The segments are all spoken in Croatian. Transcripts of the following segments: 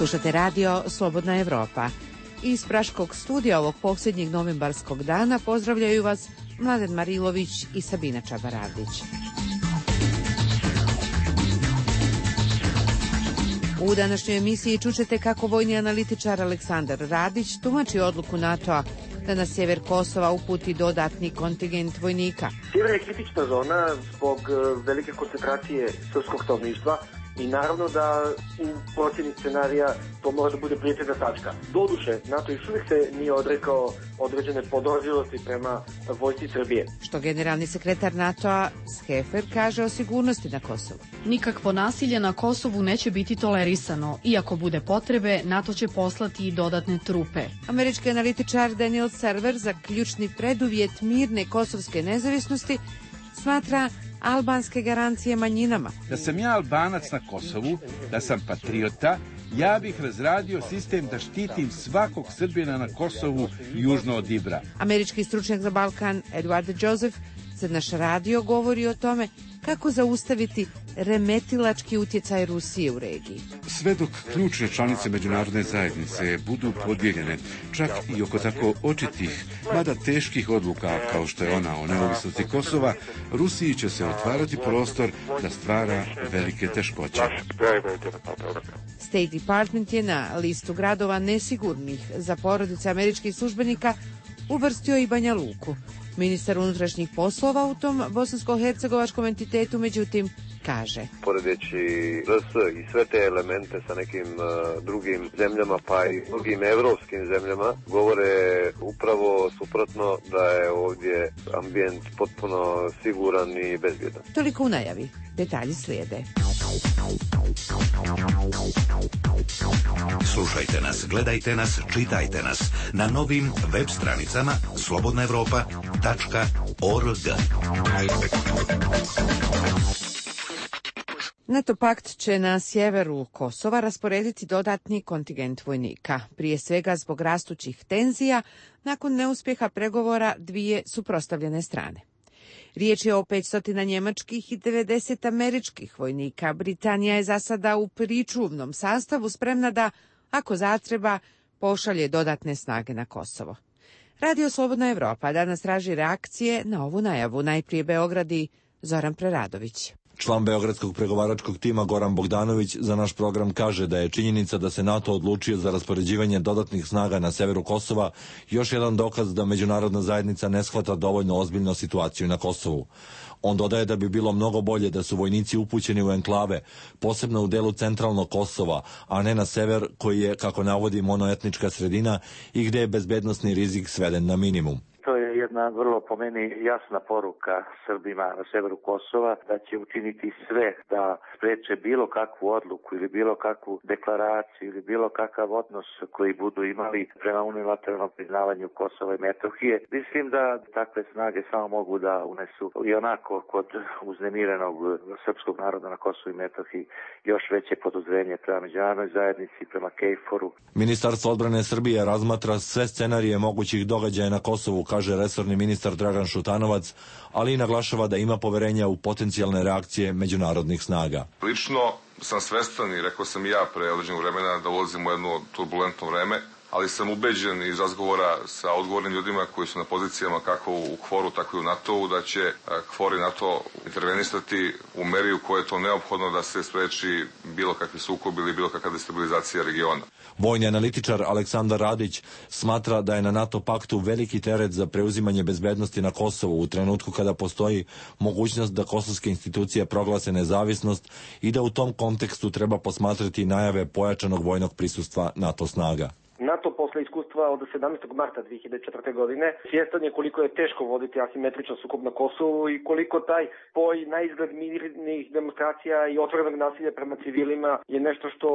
Slušate radio Slobodna Evropa. Iz Praškog studija ovog posljednjeg novembarskog dana pozdravljaju vas Mladen Marilović i Sabina Čabaradić. U današnjoj emisiji čućete kako vojni analitičar Aleksandar Radić tumači odluku NATO-a da na sjever Kosova uputi dodatni kontingent vojnika. Sjever je kritična zona zbog velike koncentracije srpskog stanovništva i naravno da u procjeni scenarija to mora da bude prijetnja tačka. Doduše, NATO još uvijek se nije odrekao određene podozrivosti prema vojsci Srbije. Što generalni sekretar NATO-a Schefer kaže o sigurnosti na Kosovu. Nikakvo nasilje na Kosovu neće biti tolerisano. Iako bude potrebe, NATO će poslati i dodatne trupe. Američki analitičar Daniel Server za ključni preduvjet mirne kosovske nezavisnosti smatra albanske garancije manjinama. Da sam ja Albanac na Kosovu, da sam patriota, ja bih razradio sistem da štitim svakog Srbina na Kosovu južno od Ibra. Američki stručnjak za Balkan Edward Joseph za naš radio govori o tome kako zaustaviti remetilački utjecaj Rusije u regiji. Sve dok ključne članice međunarodne zajednice budu podijeljene, čak i oko tako očitih, mada teških odluka kao što je ona o neovisnosti Kosova, Rusiji će se otvarati prostor da stvara velike teškoće. State Department je na listu gradova nesigurnih za porodice američkih službenika uvrstio i Banja Luku. Ministar unutrašnjih poslova u tom bosansko-hercegovačkom entitetu, međutim, kaže: poredeći RS i sve te elemente sa nekim drugim zemljama, pa i drugim evropskim zemljama, govore upravo suprotno, da je ovdje ambijent potpuno siguran i bezbjedan. Toliko u najavi. Detalji slijede. Slušajte nas, gledajte nas, čitajte nas na novim web stranicama slobodnaevropa.org. NATO pakt će na sjeveru Kosova rasporediti dodatni kontingent vojnika, prije svega zbog rastućih tenzija nakon neuspjeha pregovora dvije suprotstavljene strane. Riječ je o 500 njemačkih i 90 američkih vojnika. Britanija je za sada u pričuvnom sastavu spremna da, ako zatreba, pošalje dodatne snage na Kosovo. Radio Slobodna Evropa danas traži reakcije na ovu najavu. Najprije Beograd i Zoran Preradović. Član beogradskog pregovaračkog tima Goran Bogdanović za naš program kaže da je činjenica da se NATO odlučio za raspoređivanje dodatnih snaga na severu Kosova još jedan dokaz da međunarodna zajednica ne shvata dovoljno ozbiljno situaciju na Kosovu. On dodaje da bi bilo mnogo bolje da su vojnici upućeni u enklave, posebno u delu centralnog Kosova, a ne na sever koji je, kako navodi, monoetnička sredina i gdje je bezbednosni rizik sveden na minimum. To je jedna vrlo po meni jasna poruka Srbima na severu Kosova da će učiniti sve da spreče bilo kakvu odluku ili bilo kakvu deklaraciju ili bilo kakav odnos koji budu imali prema unilateralnom priznavanju Kosova i Metohije. Mislim da takve snage samo mogu da unesu i onako kod uznemirenog srpskog naroda na Kosovu i Metohiji još veće podozrenje prema međunarodnoj zajednici, prema KFOR-u. Ministarstvo odbrane Srbije razmatra sve scenarije mogućih događaja na Kosovu, kaže resorni ministar Dragan Šutanovac, ali i naglašava da ima poverenja u potencijalne reakcije međunarodnih snaga. Lično sam svestan i rekao sam i ja pre određenog vremena da ulazimo u jedno turbulentno vreme, ali sam ubeđen iz razgovora sa odgovornim ljudima koji su na pozicijama kako u KFOR-u, tako i u NATO-u, da će KFOR i NATO intervenisati u meri u kojoj je to neophodno da se spreči bilo kakvi sukob ili bilo kakva destabilizacija regiona. Vojni analitičar Aleksandar Radić smatra da je na NATO paktu veliki teret za preuzimanje bezbednosti na Kosovu u trenutku kada postoji mogućnost da kosovske institucije proglase nezavisnost i da u tom kontekstu treba posmatrati najave pojačanog vojnog prisustva NATO snaga. NATO posle iskustva od 17. marta 2004. godine svjestan je koliko je teško voditi asimetričan sukob na Kosovu i koliko taj spoj na izgled mirnih demonstracija i otvorenog nasilja prema civilima je nešto što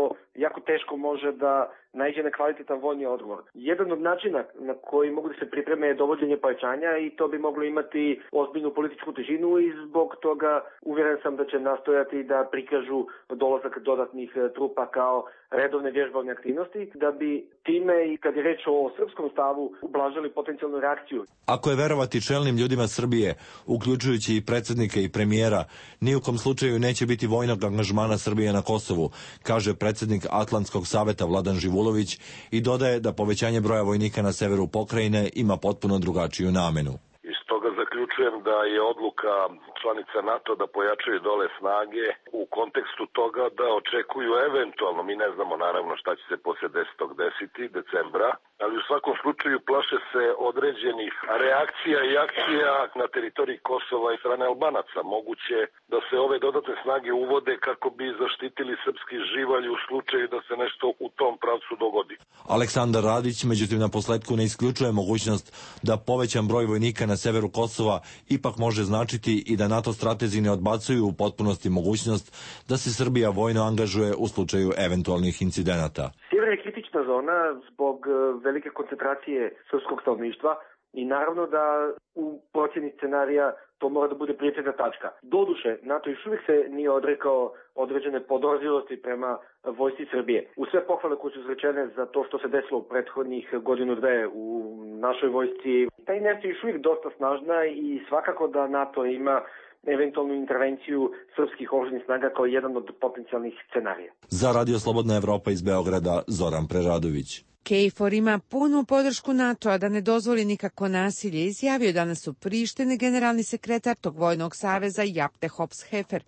jako teško može da naiđe na kvalitetan vojni odgovor. Jedan od načina na koji mogu da se pripreme je dovođenje pojačanja i to bi moglo imati ozbiljnu političku težinu i zbog toga uvjeren sam da će nastojati da prikažu dolazak dodatnih trupa kao redovne vježbovne aktivnosti, da bi time i kad je reč o srpskom stavu ublažili potencijalnu reakciju. Ako je verovati čelnim ljudima Srbije, uključujući i predsjednika i premijera, ni u kom slučaju neće biti vojnog angažmana Srbije na Kosovu, kaže predsjednik Atlantskog saveta Vladan Živulović i dodaje da povećanje broja vojnika na severu pokrajine ima potpuno drugačiju namenu. Iz toga zaključujem da je odluka članica NATO da pojačaju dole snage u kontekstu toga da očekuju eventualno, mi ne znamo naravno šta će se poslije 10. desiti, decembra, ali u svakom slučaju plaše se određenih reakcija i akcija na teritoriji Kosova i strane Albanaca. Moguće da se ove dodatne snage uvode kako bi zaštitili srpski živalj u slučaju da se nešto u tom pravcu dogodi. Aleksandar Radić, međutim, na posledku ne isključuje mogućnost da povećan broj vojnika na severu Kosova ipak može značiti i da NATO stratezi ne odbacuju u potpunosti mogućnost da se Srbija vojno angažuje u slučaju eventualnih incidenata. Sjever je kritična zona zbog velike koncentracije srpskog stanovništva i naravno da u procjeni scenarija to mora da bude prioritetna tačka. Doduše, NATO još uvijek se nije odrekao određene podozrivosti prema vojsci Srbije. U sve pohvale koje su izrečene za to što se desilo u prethodnih godinu dve u našoj vojsci, ta inercija je još uvijek dosta snažna i svakako da NATO ima eventualnu intervenciju srpskih oružanih snaga kao jedan od potencijalnih scenarija. Za Radio Slobodna Evropa iz Beograda, Zoran Preradović. KFOR ima punu podršku NATO-a da ne dozvoli nikako nasilje, izjavio danas u Prištini generalni sekretar tog vojnog saveza Japte Hops-Hefer.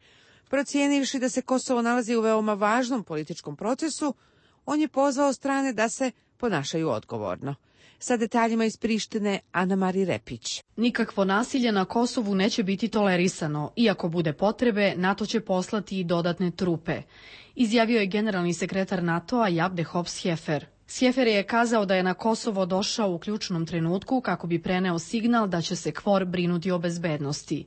Procijenivši da se Kosovo nalazi u veoma važnom političkom procesu, on je pozvao strane da se ponašaju odgovorno. Sa detaljima iz Prištine, Ana Mari Repić. Nikakvo nasilje na Kosovu neće biti tolerisano. Iako bude potrebe, NATO će poslati i dodatne trupe. Izjavio je generalni sekretar NATO-a Japte Hops-Hefer. Sjefer je kazao da je na Kosovo došao u ključnom trenutku kako bi preneo signal da će se KFOR brinuti o bezbednosti.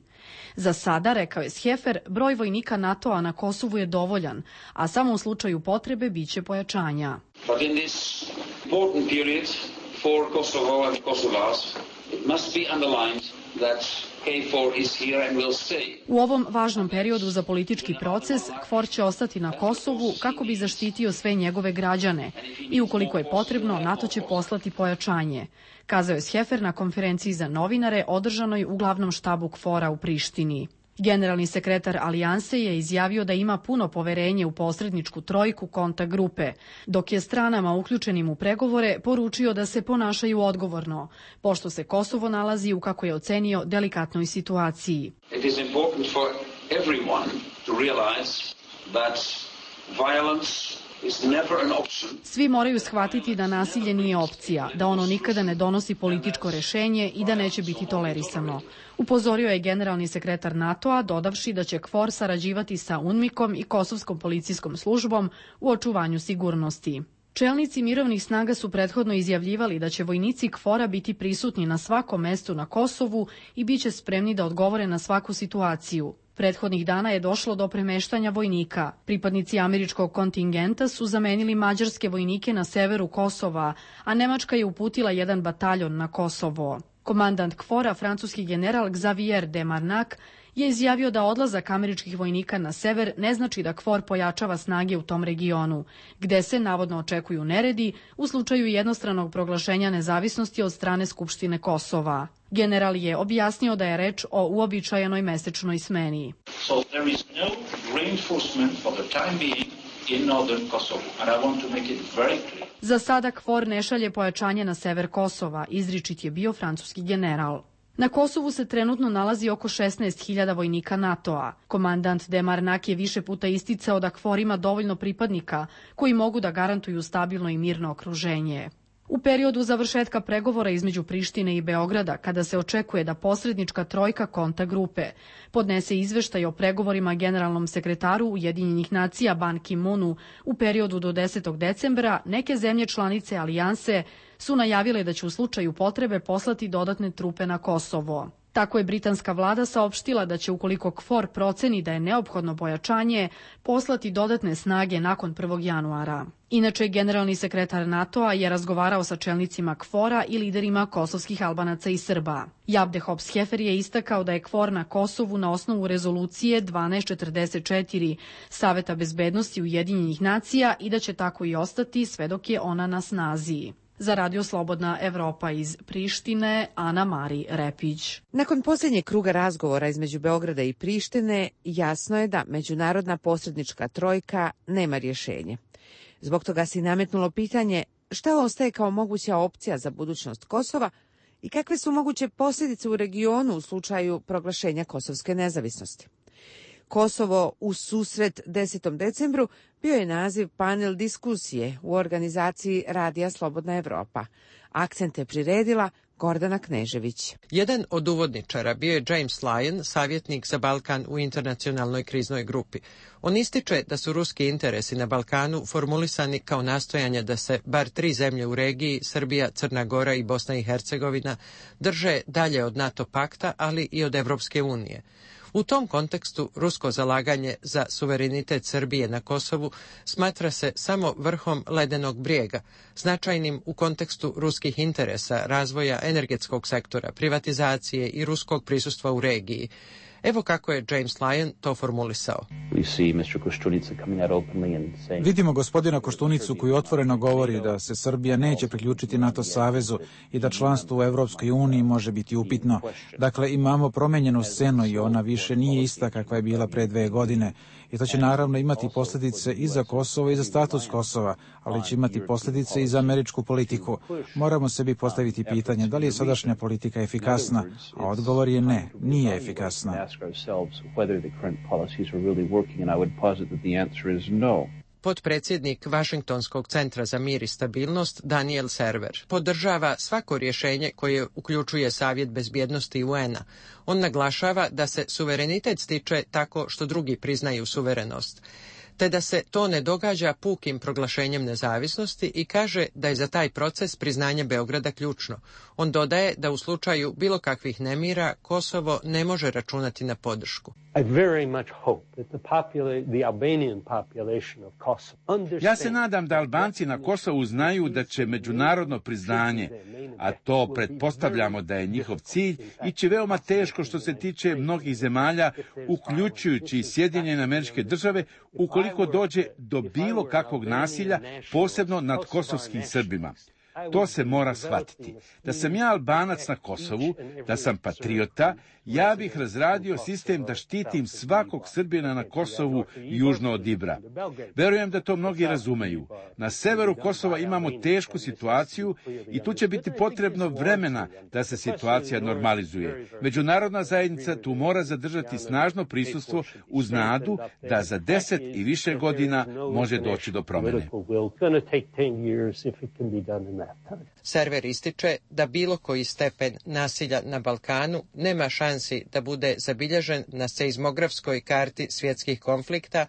Za sada, rekao je Sjefer, broj vojnika NATO-a na Kosovu je dovoljan, a samo u slučaju potrebe biće pojačanja. But in this important period for Kosovo and Kosovars, it must be underlined that KFOR is here and will stay. U ovom važnom periodu za politički proces, KFOR će ostati na Kosovu kako bi zaštitio sve njegove građane i ukoliko je potrebno, NATO će poslati pojačanje, kazao je Sjefer na konferenciji za novinare održanoj u glavnom štabu KFOR-a u Prištini. Generalni sekretar Alijanse je izjavio da ima puno poverenje u posredničku trojku kontakt grupe, dok je stranama uključenim u pregovore poručio da se ponašaju odgovorno, pošto se Kosovo nalazi u, kako je ocenio, delikatnoj situaciji. It is important for everyone to realize that violence is never an option. Svi moraju shvatiti da nasilje nije opcija, da ono nikada ne donosi političko rešenje i da neće biti tolerisano. Upozorio je generalni sekretar NATO-a, dodavši da će KFOR sarađivati sa UNMIK-om i Kosovskom policijskom službom u očuvanju sigurnosti. Čelnici mirovnih snaga su prethodno izjavljivali da će vojnici KFOR-a biti prisutni na svakom mestu na Kosovu i bit će spremni da odgovore na svaku situaciju. Prethodnih dana je došlo do premeštanja vojnika. Pripadnici američkog kontingenta su zamenili mađarske vojnike na severu Kosova, a Nemačka je uputila jedan bataljon na Kosovo. Komandant KFOR-a, francuski general Xavier de Marnac, je izjavio da odlazak američkih vojnika na sever ne znači da KFOR pojačava snage u tom regionu, gde se navodno očekuju neredi u slučaju jednostranog proglašenja nezavisnosti od strane Skupštine Kosova. General je objasnio da je reč o uobičajenoj mesečnoj smeni. So there is no reinforcement for the time being in northern Kosovo, and I want to make it very clear. Za sada KFOR ne šalje pojačanje na sever Kosova, izričit je bio francuski general. Na Kosovu se trenutno nalazi oko 16.000 vojnika NATO-a. Komandant de Marnac je više puta isticao da KFOR ima dovoljno pripadnika koji mogu da garantuju stabilno i mirno okruženje. U periodu završetka pregovora između Prištine i Beograda, kada se očekuje da posrednička trojka kontakt grupe podnese izveštaj o pregovorima generalnom sekretaru Ujedinjenih nacija Ban Ki-moonu u periodu do 10. decembra, neke zemlje članice Alijanse su najavile da će u slučaju potrebe poslati dodatne trupe na Kosovo. Tako je britanska vlada saopštila da će, ukoliko KFOR proceni da je neophodno pojačanje, poslati dodatne snage nakon 1. januara. Inače, generalni sekretar NATO-a je razgovarao sa čelnicima KFOR-a i liderima kosovskih Albanaca i Srba. Javde Hops-Hefer je istakao da je KFOR na Kosovu na osnovu rezolucije 1244 Saveta bezbednosti Ujedinjenih nacija i da će tako i ostati sve dok je ona na snazi. Za Radio Slobodna Evropa iz Prištine, Ana Mari Repić. Nakon posljednjeg kruga razgovora između Beograda i Prištine, jasno je da međunarodna posrednička trojka nema rješenje. Zbog toga se nametnulo pitanje šta ostaje kao moguća opcija za budućnost Kosova i kakve su moguće posljedice u regionu u slučaju proglašenja kosovske nezavisnosti. Kosovo u susret 10. decembru bio je naziv panel diskusije u organizaciji Radija Slobodna Evropa. Akcente priredila Gordana Knežević. Jedan od uvodničara bio je James Lyon, savjetnik za Balkan u internacionalnoj kriznoj grupi. On ističe da su ruski interesi na Balkanu formulisani kao nastojanje da se bar 3 zemlje u regiji, Srbija, Crna Gora i Bosna i Hercegovina, drže dalje od NATO pakta, ali i od Evropske unije. U tom kontekstu rusko zalaganje za suverenitet Srbije na Kosovu smatra se samo vrhom ledenog brijega, značajnim u kontekstu ruskih interesa, razvoja energetskog sektora, privatizacije i ruskog prisustva u regiji. Evo kako je James Lyon to formulisao. Vidimo gospodina Koštunicu koji otvoreno govori da se Srbija neće priključiti NATO savezu i da članstvo u Evropskoj uniji može biti upitno. Dakle, imamo promenjenu scenu i ona više nije ista kakva je bila pre 2 godine. I to će naravno imati posljedice i za Kosovo i za status Kosova, ali će imati posljedice i za američku politiku. Moramo sebi postaviti pitanje da li je sadašnja politika efikasna, a odgovor je ne, nije efikasna. Potpredsjednik Vašingtonskog centra za mir i stabilnost Daniel Server podržava svako rješenje koje uključuje Savjet bezbjednosti UN-a. On naglašava da se suverenitet stiče tako što drugi priznaju suverenost, te da se to ne događa pukim proglašenjem nezavisnosti i kaže da je za taj proces priznanje Beograda ključno. On dodaje da u slučaju bilo kakvih nemira Kosovo ne može računati na podršku. Ja se nadam da Albanci na Kosovu znaju da će međunarodno priznanje, a to pretpostavljamo da je njihov cilj, ići veoma teško što se tiče mnogih zemalja, uključujući i Sjedinjene Američke Države, ukoliko dođe do bilo kakvog nasilja, posebno nad kosovskim Srbima. To se mora shvatiti. Da sam ja Albanac na Kosovu, da sam patriota, ja bih razradio sistem da štitim svakog Srbina na Kosovu južno od Ibra. Verujem da to mnogi razumeju. Na severu Kosova imamo tešku situaciju i tu će biti potrebno vremena da se situacija normalizuje. Međunarodna zajednica tu mora zadržati snažno prisustvo uz nadu da za 10 i više godina može doći do promjene. Server ističe da bilo koji stepen nasilja na Balkanu nema šansi da bude zabilježen na seizmografskoj karti svjetskih konflikta.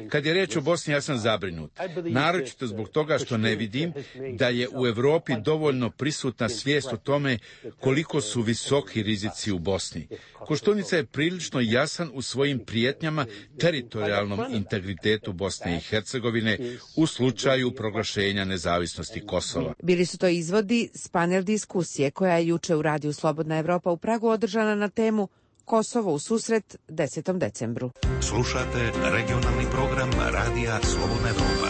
Kad je riječ o Bosni, ja sam zabrinut. Naročito zbog toga što ne vidim da je u Europi dovoljno prisutna svijest o tome koliko su visoki rizici u Bosni. Koštunica je prilično jasan u svojim prijetnjama teritorijalnom integritetu Bosne i Hercegovine u slučaju proglašenja nezavisnosti Kosova. Bili su to izvodi s panel diskusije koja je juče u Radiju Slobodna Evropa u Pragu održana na temu Kosovo u susret 10. decembru. Slušate regionalni program Radija Slobodna Evropa.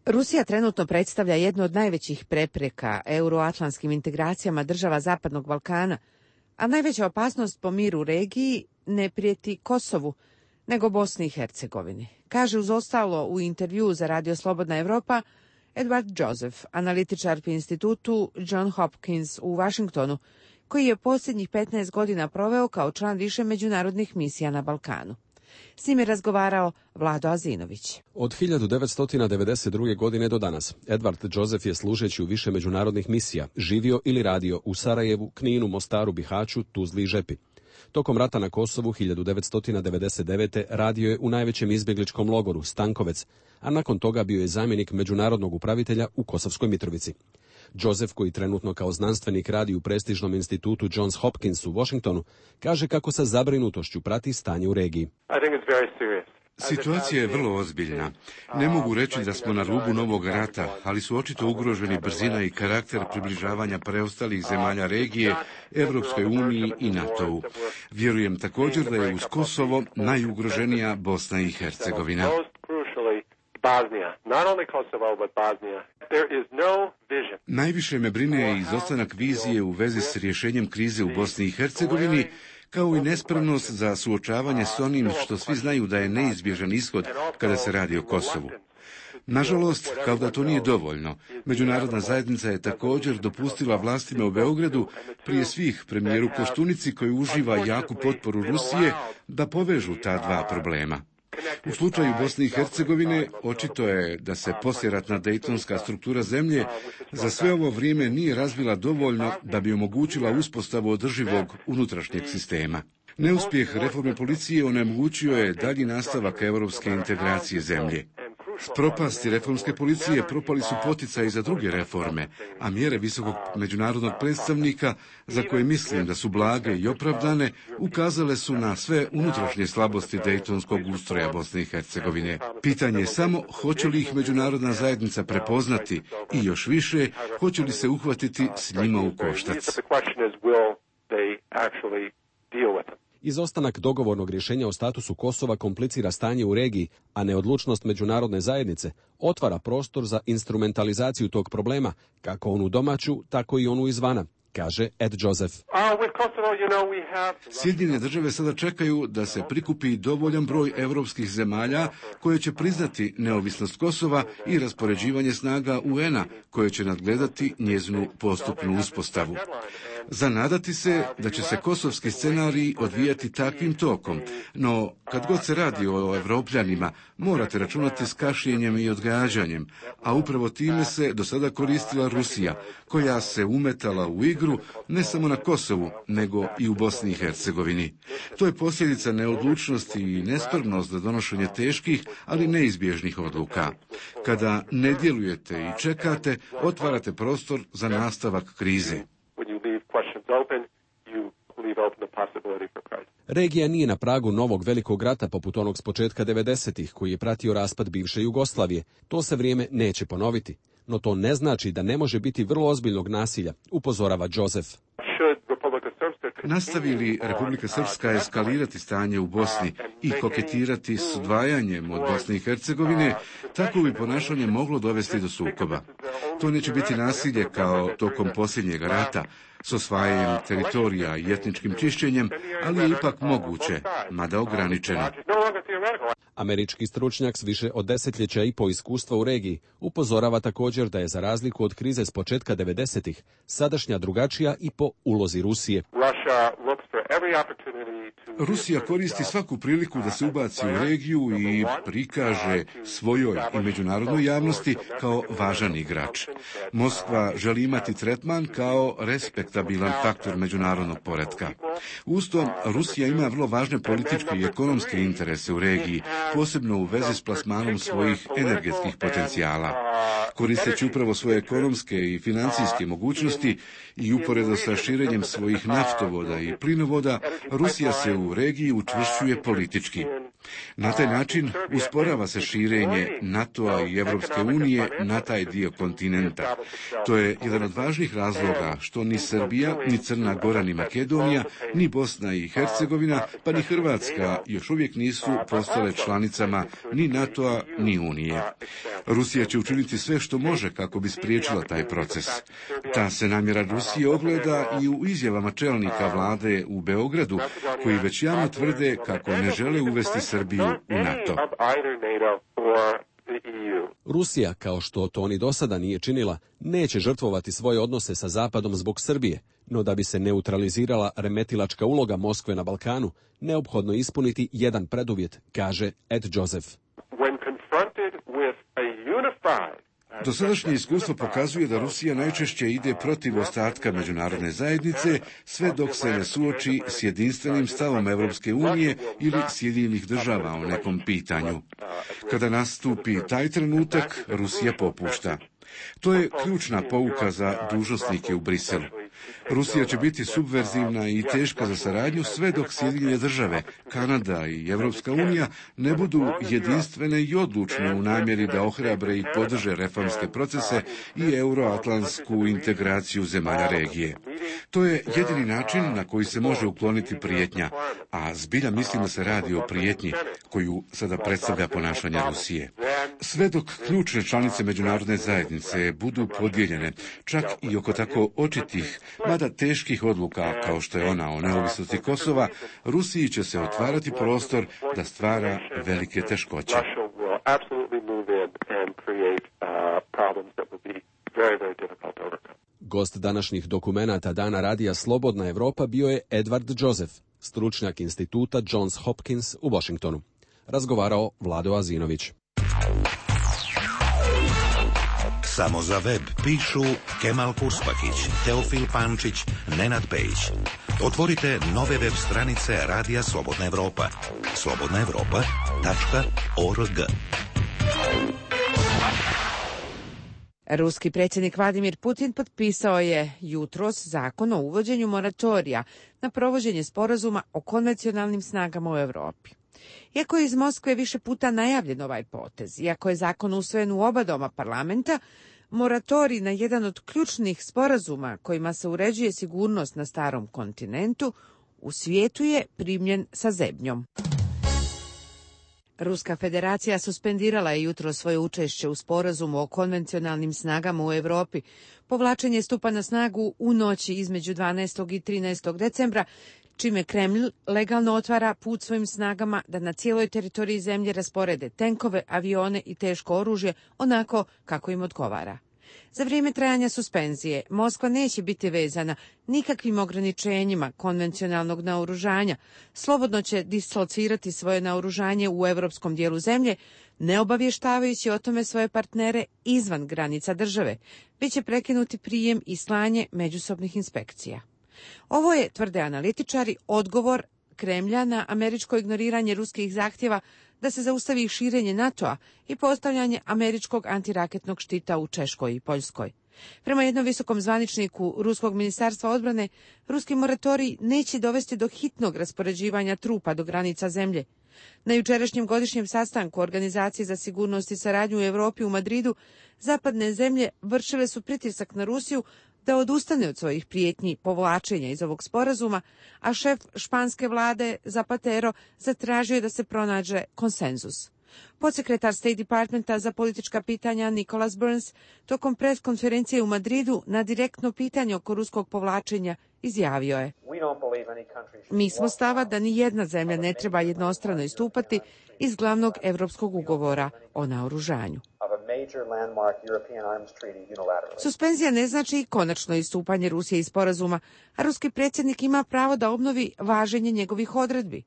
Rusija trenutno predstavlja jednu od najvećih prepreka euroatlantskim integracijama država Zapadnog Balkana, a najveća opasnost po miru u regiji ne prijeti Kosovu, nego Bosni i Hercegovini. Kaže uz ostalo u intervjuu za Radio Slobodna Evropa Edward Joseph, analitičar pri institutu John Hopkins u Washingtonu, koji je posljednjih 15 godina proveo kao član više međunarodnih misija na Balkanu. S njim je razgovarao Vlado Azinović. Od 1992. godine do danas, Edward Joseph je služeći u više međunarodnih misija živio ili radio u Sarajevu, Kninu, Mostaru, Bihaću, Tuzli i Žepi. Tokom rata na Kosovu 1999. radio je u najvećem izbjegličkom logoru Stankovec, a nakon toga bio je zamjenik međunarodnog upravitelja u Kosovskoj Mitrovici. Joseph, koji trenutno kao znanstvenik radi u prestižnom institutu Johns Hopkins u Washingtonu, kaže kako sa zabrinutošću prati stanje u regiji. Situacija je vrlo ozbiljna. Ne mogu reći da smo na rubu novog rata, ali su očito ugroženi brzina i karakter približavanja preostalih zemalja regije, Evropskoj uniji i NATO-u. Vjerujem također da je uz Kosovo najugroženija Bosna i Hercegovina. Najviše me brine izostanak vizije u vezi s rješenjem krize u Bosni i Hercegovini, kao i nespremnost za suočavanje s onim što svi znaju da je neizbježan ishod kada se radi o Kosovu. Nažalost, kao da to nije dovoljno, međunarodna zajednica je također dopustila vlastima u Beogradu, prije svih premijeru Koštunici koji uživa jaku potporu Rusije, da povežu ta dva problema. U slučaju Bosne i Hercegovine očito je da se poslijeratna dejtonska struktura zemlje za sve ovo vrijeme nije razvila dovoljno da bi omogućila uspostavu održivog unutrašnjeg sistema. Neuspjeh reforme policije onemogućio je dalji nastavak europske integracije zemlje. S propasti reformske policije propali su poticaji za druge reforme, a mjere visokog međunarodnog predstavnika, za koje mislim da su blage i opravdane, ukazale su na sve unutrašnje slabosti dejtonskog ustroja Bosne i Hercegovine. Pitanje je samo hoće li ih međunarodna zajednica prepoznati i još više, hoće li se uhvatiti s njima u koštac. Izostanak dogovornog rješenja o statusu Kosova komplicira stanje u regiji, a neodlučnost međunarodne zajednice otvara prostor za instrumentalizaciju tog problema, kako onu domaću, tako i onu izvana, kaže Ed Joseph. Sjedinjene države sada čekaju da se prikupi dovoljan broj europskih zemalja koje će priznati neovisnost Kosova i raspoređivanje snaga UN-a koje će nadgledati njezinu postupnu uspostavu. Zanadati se da će se kosovski scenarij odvijati takvim tokom, no kad god se radi o Evropljanima, morate računati s kašnjenjem i odgađanjem, a upravo time se do sada koristila Rusija, koja se umetala u igru ne samo na Kosovu, nego i u Bosni i Hercegovini. To je posljedica neodlučnosti i nespremnost za donošenje teških, ali neizbježnih odluka. Kada ne djelujete i čekate, otvarate prostor za nastavak krize. Regija nije na pragu novog velikog rata poput onog s početka 90-ih koji je pratio raspad bivše Jugoslavije. To se vrijeme neće ponoviti, no to ne znači da ne može biti vrlo ozbiljnog nasilja, upozorava Joseph. Nastavi li Republika Srpska eskalirati stanje u Bosni i koketirati s odvajanjem od Bosne i Hercegovine, tako bi ponašanje moglo dovesti do sukoba. To neće biti nasilje kao tokom posljednjeg rata, s osvajanjem teritorija i etničkim čišćenjem, ali je ipak moguće, mada ograničeno. Američki stručnjak s više od desetljeća i po iskustva u regiji upozorava također da je za razliku od krize s početka 90-ih sadašnja drugačija i po ulozi Rusije. Rusija koristi svaku priliku da se ubaci u regiju i prikaže svojoj i međunarodnoj javnosti kao važan igrač. Moskva želi imati tretman kao respektabilan faktor međunarodnog poretka. Uz to, Rusija ima vrlo važne političke i ekonomske interese u regiji, posebno u vezi s plasmanom svojih energetskih potencijala. Koristeći upravo svoje ekonomske i financijske mogućnosti i uporedo sa širenjem svojih naftovoda i plinovoda, Rusija se u regiji učvršćuje politički. Na taj način usporava se širenje NATO-a i Evropske unije na taj dio kontinenta. To je jedan od važnih razloga što ni Srbija, ni Crna Gora, ni Makedonija, ni Bosna i Hercegovina, pa ni Hrvatska još uvijek nisu postale članicama ni NATO-a ni Unije. Rusija će učiniti sve što može kako bi spriječila taj proces. Ta se namjera Rusije ogleda i u izjavama čelnika vlade u Beogradu, koji već javno tvrde kako ne žele uvesti Srbiju u NATO. Rusija, kao što to ni do sada nije činila, neće žrtvovati svoje odnose sa Zapadom zbog Srbije, no da bi se neutralizirala remetilačka uloga Moskve na Balkanu, neophodno ispuniti jedan preduvjet, kaže Ed Joseph. Dosadašnje iskustvo pokazuje da Rusija najčešće ide protiv ostatka međunarodne zajednice, sve dok se ne suoči s jedinstvenim stavom Evropske unije ili Sjedinjenih država o nekom pitanju. Kada nastupi taj trenutak, Rusija popušta. To je ključna pouka za dužnosnike u Briselu. Rusija će biti subverzivna i teška za saradnju sve dok Sjedinjene države, Kanada i Evropska unija ne budu jedinstvene i odlučne u namjeri da ohrabre i podrže reformske procese i euroatlantsku integraciju zemalja regije. To je jedini način na koji se može ukloniti prijetnja, a zbilja mislim da se radi o prijetnji koju sada predstavlja ponašanje Rusije. Sve dok ključne članice međunarodne zajednice budu podijeljene, čak i oko tako očitih, mada teških odluka kao što je ona o neovisnosti Kosova, Rusiji će se otvarati prostor da stvara velike teškoće. Gost današnjih dokumenata Dana radija Slobodna Evropa bio je Edward Joseph, stručnjak instituta Johns Hopkins u Washingtonu. Razgovarao Vlado Azinović. Samo za web pišu Kemal Purspakić, Teofil Pančić, Nenad Pejić. Otvorite nove web stranice Radija Slobodna Evropa. slobodnaevropa.org. Ruski predsjednik Vladimir Putin potpisao je jutros zakon o uvođenju moratorija na provođenje sporazuma o konvencionalnim snagama u Europi. Iako je iz Moskve više puta najavljen ovaj potez, iako je zakon usvojen u oba doma parlamenta, moratorij na jedan od ključnih sporazuma kojima se uređuje sigurnost na starom kontinentu u svijetu je primljen sa zebnjom. Ruska federacija suspendirala je jutro svoje učešće u sporazumu o konvencionalnim snagama u Europi. Povlačenje stupa na snagu u noći između 12. i 13. decembra, čime Kremlj legalno otvara put svojim snagama da na cijeloj teritoriji zemlje rasporede tenkove, avione i teško oružje onako kako im odgovara. Za vrijeme trajanja suspenzije Moskva neće biti vezana nikakvim ograničenjima konvencionalnog naoružanja, slobodno će dislocirati svoje naoružanje u europskom dijelu zemlje, ne obavještavajući o tome svoje partnere izvan granica države, već će prekinuti prijem i slanje međusobnih inspekcija. Ovo je, tvrde analitičari, odgovor Kremlja na američko ignoriranje ruskih zahtjeva da se zaustavi širenje NATO-a i postavljanje američkog antiraketnog štita u Češkoj i Poljskoj. Prema jednom visokom zvaničniku Ruskog ministarstva odbrane, ruski moratorij neće dovesti do hitnog raspoređivanja trupa do granica zemlje. Na jučerašnjem godišnjem sastanku Organizacije za sigurnost i saradnju u Europi u Madridu, zapadne zemlje vršile su pritisak na Rusiju da odustane od svojih prijetnji povlačenja iz ovog sporazuma, a šef španske vlade Zapatero zatražio je da se pronađe konsenzus. Podsekretar State Departmenta za politička pitanja Nicholas Burns tokom preskonferencije u Madridu na direktno pitanje oko ruskog povlačenja izjavio je: Mi smo stava da ni jedna zemlja ne treba jednostrano istupati iz glavnog evropskog ugovora o naoružanju. Suspenzija ne znači i konačno istupanje Rusije iz sporazuma, a ruski predsjednik ima pravo da obnovi važenje njegovih odredbi.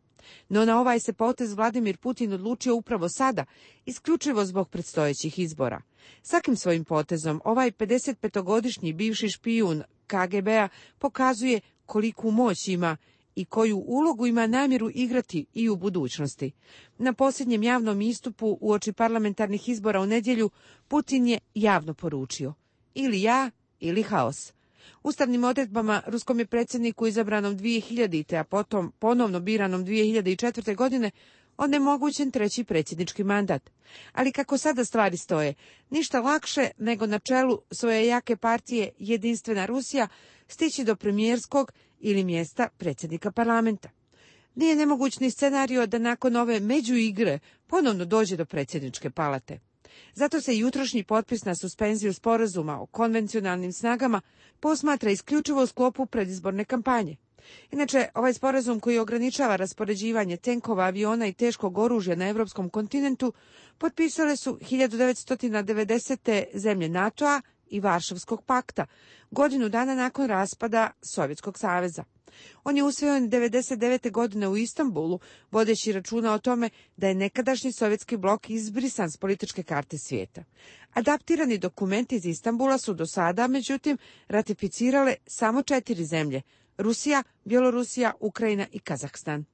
No na ovaj se potez Vladimir Putin odlučio upravo sada, isključivo zbog predstojećih izbora. Svakim svojim potezom ovaj 55-godišnji bivši špijun KGB-a pokazuje koliku moć ima i koju ulogu ima namjeru igrati i u budućnosti. Na posljednjem javnom istupu uoči parlamentarnih izbora u nedjelju Putin je javno poručio: ili ja, ili haos. Ustavnim odredbama ruskom je predsjedniku izabranom 2000. a potom ponovno biranom 2004. godine onemogućen treći predsjednički mandat. Ali kako sada stvari stoje, ništa lakše nego na čelu svoje jake partije Jedinstvena Rusija stići do premijerskog ili mjesta predsjednika parlamenta. Nije nemoguć ni scenario da nakon ove međuigre ponovno dođe do predsjedničke palate. Zato se jutrošnji potpis na suspenziju sporazuma o konvencionalnim snagama posmatra isključivo u sklopu predizborne kampanje. Inače, ovaj sporazum koji ograničava raspoređivanje tenkova, aviona i teškog oružja na europskom kontinentu potpisale su 1990. zemlje NATO-a i Varšavskog pakta, godinu dana nakon raspada Sovjetskog saveza. On je usvojen 1999. godine u Istanbulu, vodeći računa o tome da je nekadašnji sovjetski blok izbrisan s političke karte svijeta. Adaptirani dokumenti iz Istanbula su do sada, međutim, ratificirale samo 4 zemlje: Rusija, Bjelorusija, Ukrajina i Kazahstan.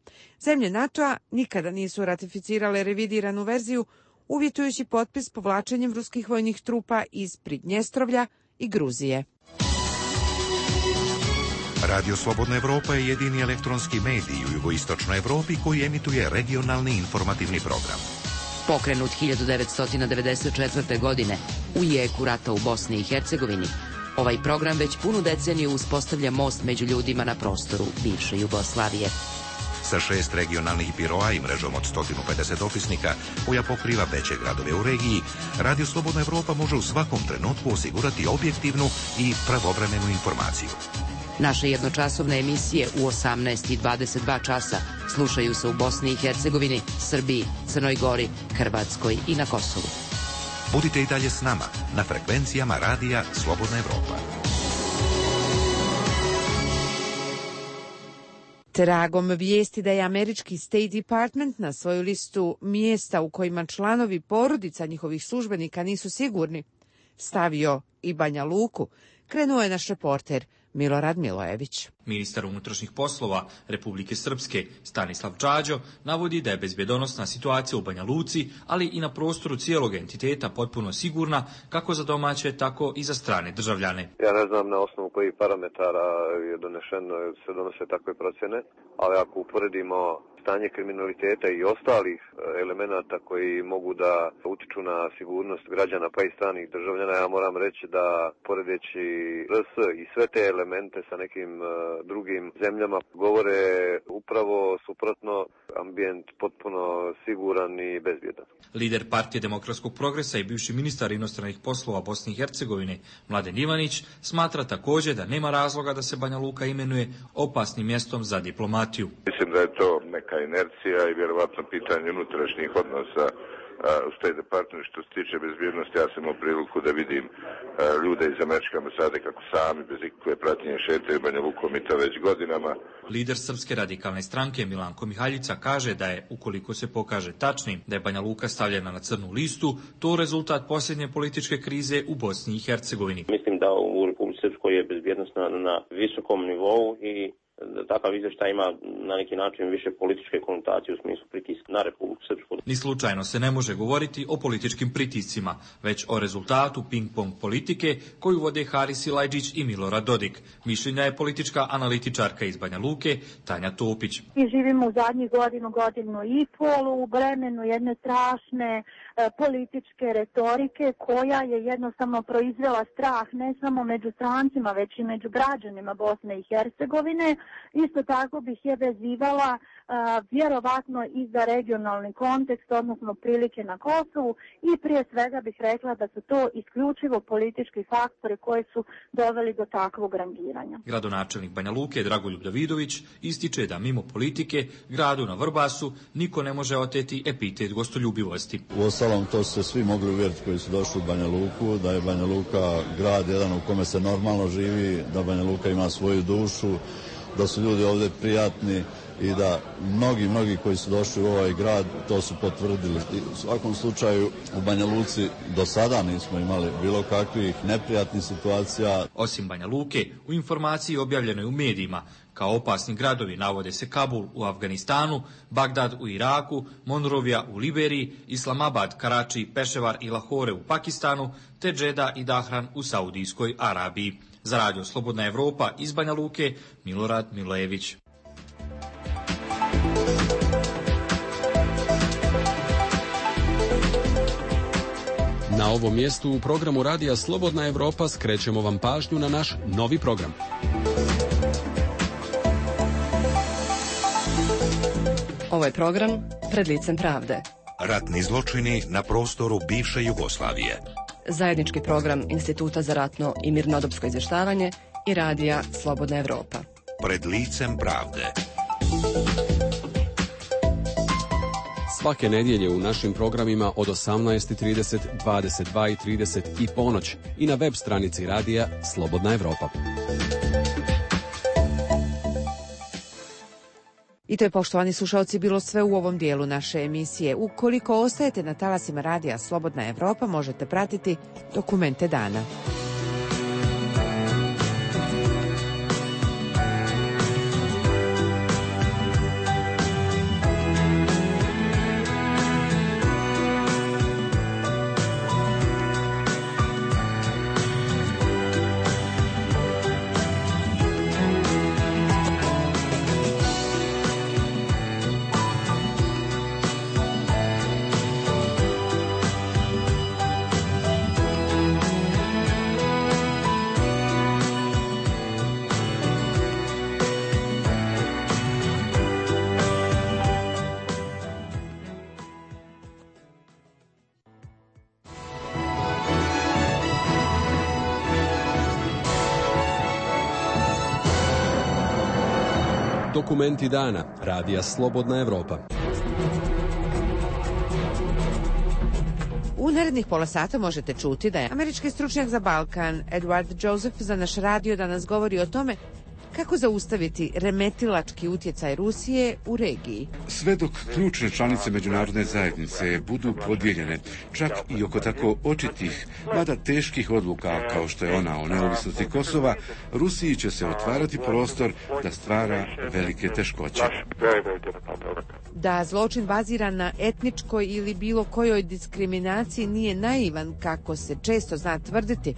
Zemlje NATO-a nikada nisu ratificirale revidiranu verziju, uvjetujući potpis povlačenjem ruskih vojnih trupa iz Pridnjestrovlja i Gruzije. Radio Slobodna Evropa je jedini elektronski medij u jugoistočnoj Evropi koji emituje regionalni informativni program. Pokrenut 1994. godine u jeku rata u Bosni i Hercegovini, ovaj program već punu deceniju uspostavlja most među ljudima na prostoru bivše Jugoslavije. Sa 6 regionalnih biroa i mrežom od 150 dopisnika koja pokriva veće gradove u regiji, Radio Slobodna Evropa može u svakom trenutku osigurati objektivnu i pravovremenu informaciju. Naše jednočasovne emisije u 18 i 22 časa slušaju se u Bosni i Hercegovini, Srbiji, Crnoj Gori, Hrvatskoj i na Kosovu. Budite i dalje s nama na frekvencijama Radija Slobodna Evropa. Tragom vijesti da je američki State Department na svoju listu mjesta u kojima članovi porodica njihovih službenika nisu sigurni stavio i Banja Luku, krenuo je naš reporter Milorad Milojević. Ministar unutrašnjih poslova Republike Srpske Stanislav Đađo navodi da je bezbjedonosna situacija u Banja Luci, ali i na prostoru cijelog entiteta potpuno sigurna, kako za domaće, tako i za strane državljane. Ja ne znam na osnovu kojih parametara se donose takve procjene, ali ako uporedimo stanje kriminaliteta i ostalih elemenata koji mogu da utiču na sigurnost građana pa i stranih državljana, ja moram reći da poredeći RS i sve te elemente sa nekim drugim zemljama govore upravo suprotno, ambijent potpuno siguran i bezbjedan. Lider Partije demokratskog progresa i bivši ministar inostranih poslova Bosne i Hercegovine Mladen Ivanić smatra također da nema razloga da se Banja Luka imenuje opasnim mjestom za diplomatiju. Mislim da je to neka inercija i vjerovatno pitanje unutrašnjih odnosa u State Department. Što se tiče bezbjednosti, ja sam imao priliku da vidim ljude iz američke ambasade kako sami bez ikakve pratnje šetaju Banja Lukom i to već godinama. Lider Srpske radikalne stranke Milanko Mihaljica kaže da je, ukoliko se pokaže tačnim da je Banja Luka stavljena na crnu listu, to rezultat posljednje političke krize u Bosni i Hercegovini. Mislim da u Republici Srpskoj je bezbjednost na visokom nivou i takav izvještaj ima na neki način više političke konotacije u smislu pritiska na Republiku Srpsku. Ni slučajno se ne može govoriti o političkim pritiscima, već o rezultatu ping-pong politike koju vode Haris Silajdžić i Milorad Dodik. Mišljenja je politička analitičarka iz Banja Luke Tanja Topić. Mi živimo u zadnjih godinu i pol u vremenu jedne strašne političke retorike koja je jednostavno proizvela strah ne samo među strancima, već i među građanima Bosne i Hercegovine. Isto tako bih je vezivala vjerovatno i za regionalni kontekst, odnosno prilike na Kosovu, i prije svega bih rekla da su to isključivo politički faktori koji su doveli do takvog rangiranja. Gradonačelnik Banja Luke Dragoljub Davidović ističe da mimo politike gradu na Vrbasu niko ne može oteti epitet gostoljubivosti. Uostalom, to su se svi mogli uvjeriti koji su došli u Banja Luku, da je Banja Luka grad jedan u kome se normalno živi, da Banja Luka ima svoju dušu, da su ljudi ovdje prijatni i da mnogi koji su došli u ovaj grad to su potvrdili. U svakom slučaju u Banja Luci do sada nismo imali bilo kakvih neprijatnih situacija. Osim Banja Luke, u informaciji objavljenoj u medijima kao opasni gradovi navode se Kabul u Afganistanu, Bagdad u Iraku, Monrovija u Liberiji, Islamabad, Karači, Peševar i Lahore u Pakistanu, te Džeda i Dahran u Saudijskoj Arabiji. Za Radio Slobodna Evropa iz Banja Luke, Milorad Milojević. Na ovom mjestu u programu Radija Slobodna Evropa skrećemo vam pažnju na naš novi program. Ovo je program Pred licem pravde. Ratni zločini na prostoru bivše Jugoslavije. Zajednički program Instituta za ratno i mirnodopsko izvještavanje i Radija Slobodna Evropa. Pred licem pravde. Svake nedjelje u našim programima od 18:30, 22:30 i ponoć i na web stranici Radija Slobodna Evropa. I to je, poštovani slušalci, bilo sve u ovom dijelu naše emisije. Ukoliko ostajete na talasima radija Slobodna Evropa, možete pratiti Dokumente dana. Dokumenti dana, radija Slobodna Evropa. U narednih pola sata možete čuti da je američki stručnjak za Balkan Edward Joseph za naš radio danas govori o tome kako zaustaviti remetilački utjecaj Rusije u regiji. Sve dok ključne članice međunarodne zajednice budu podijeljene, čak i oko tako očitih, mada teških odluka kao što je ona o neovisnosti Kosova, Rusiji će se otvarati prostor da stvara velike teškoće. Da zločin baziran na etničkoj ili bilo kojoj diskriminaciji nije naivan, kako se često zna tvrditi,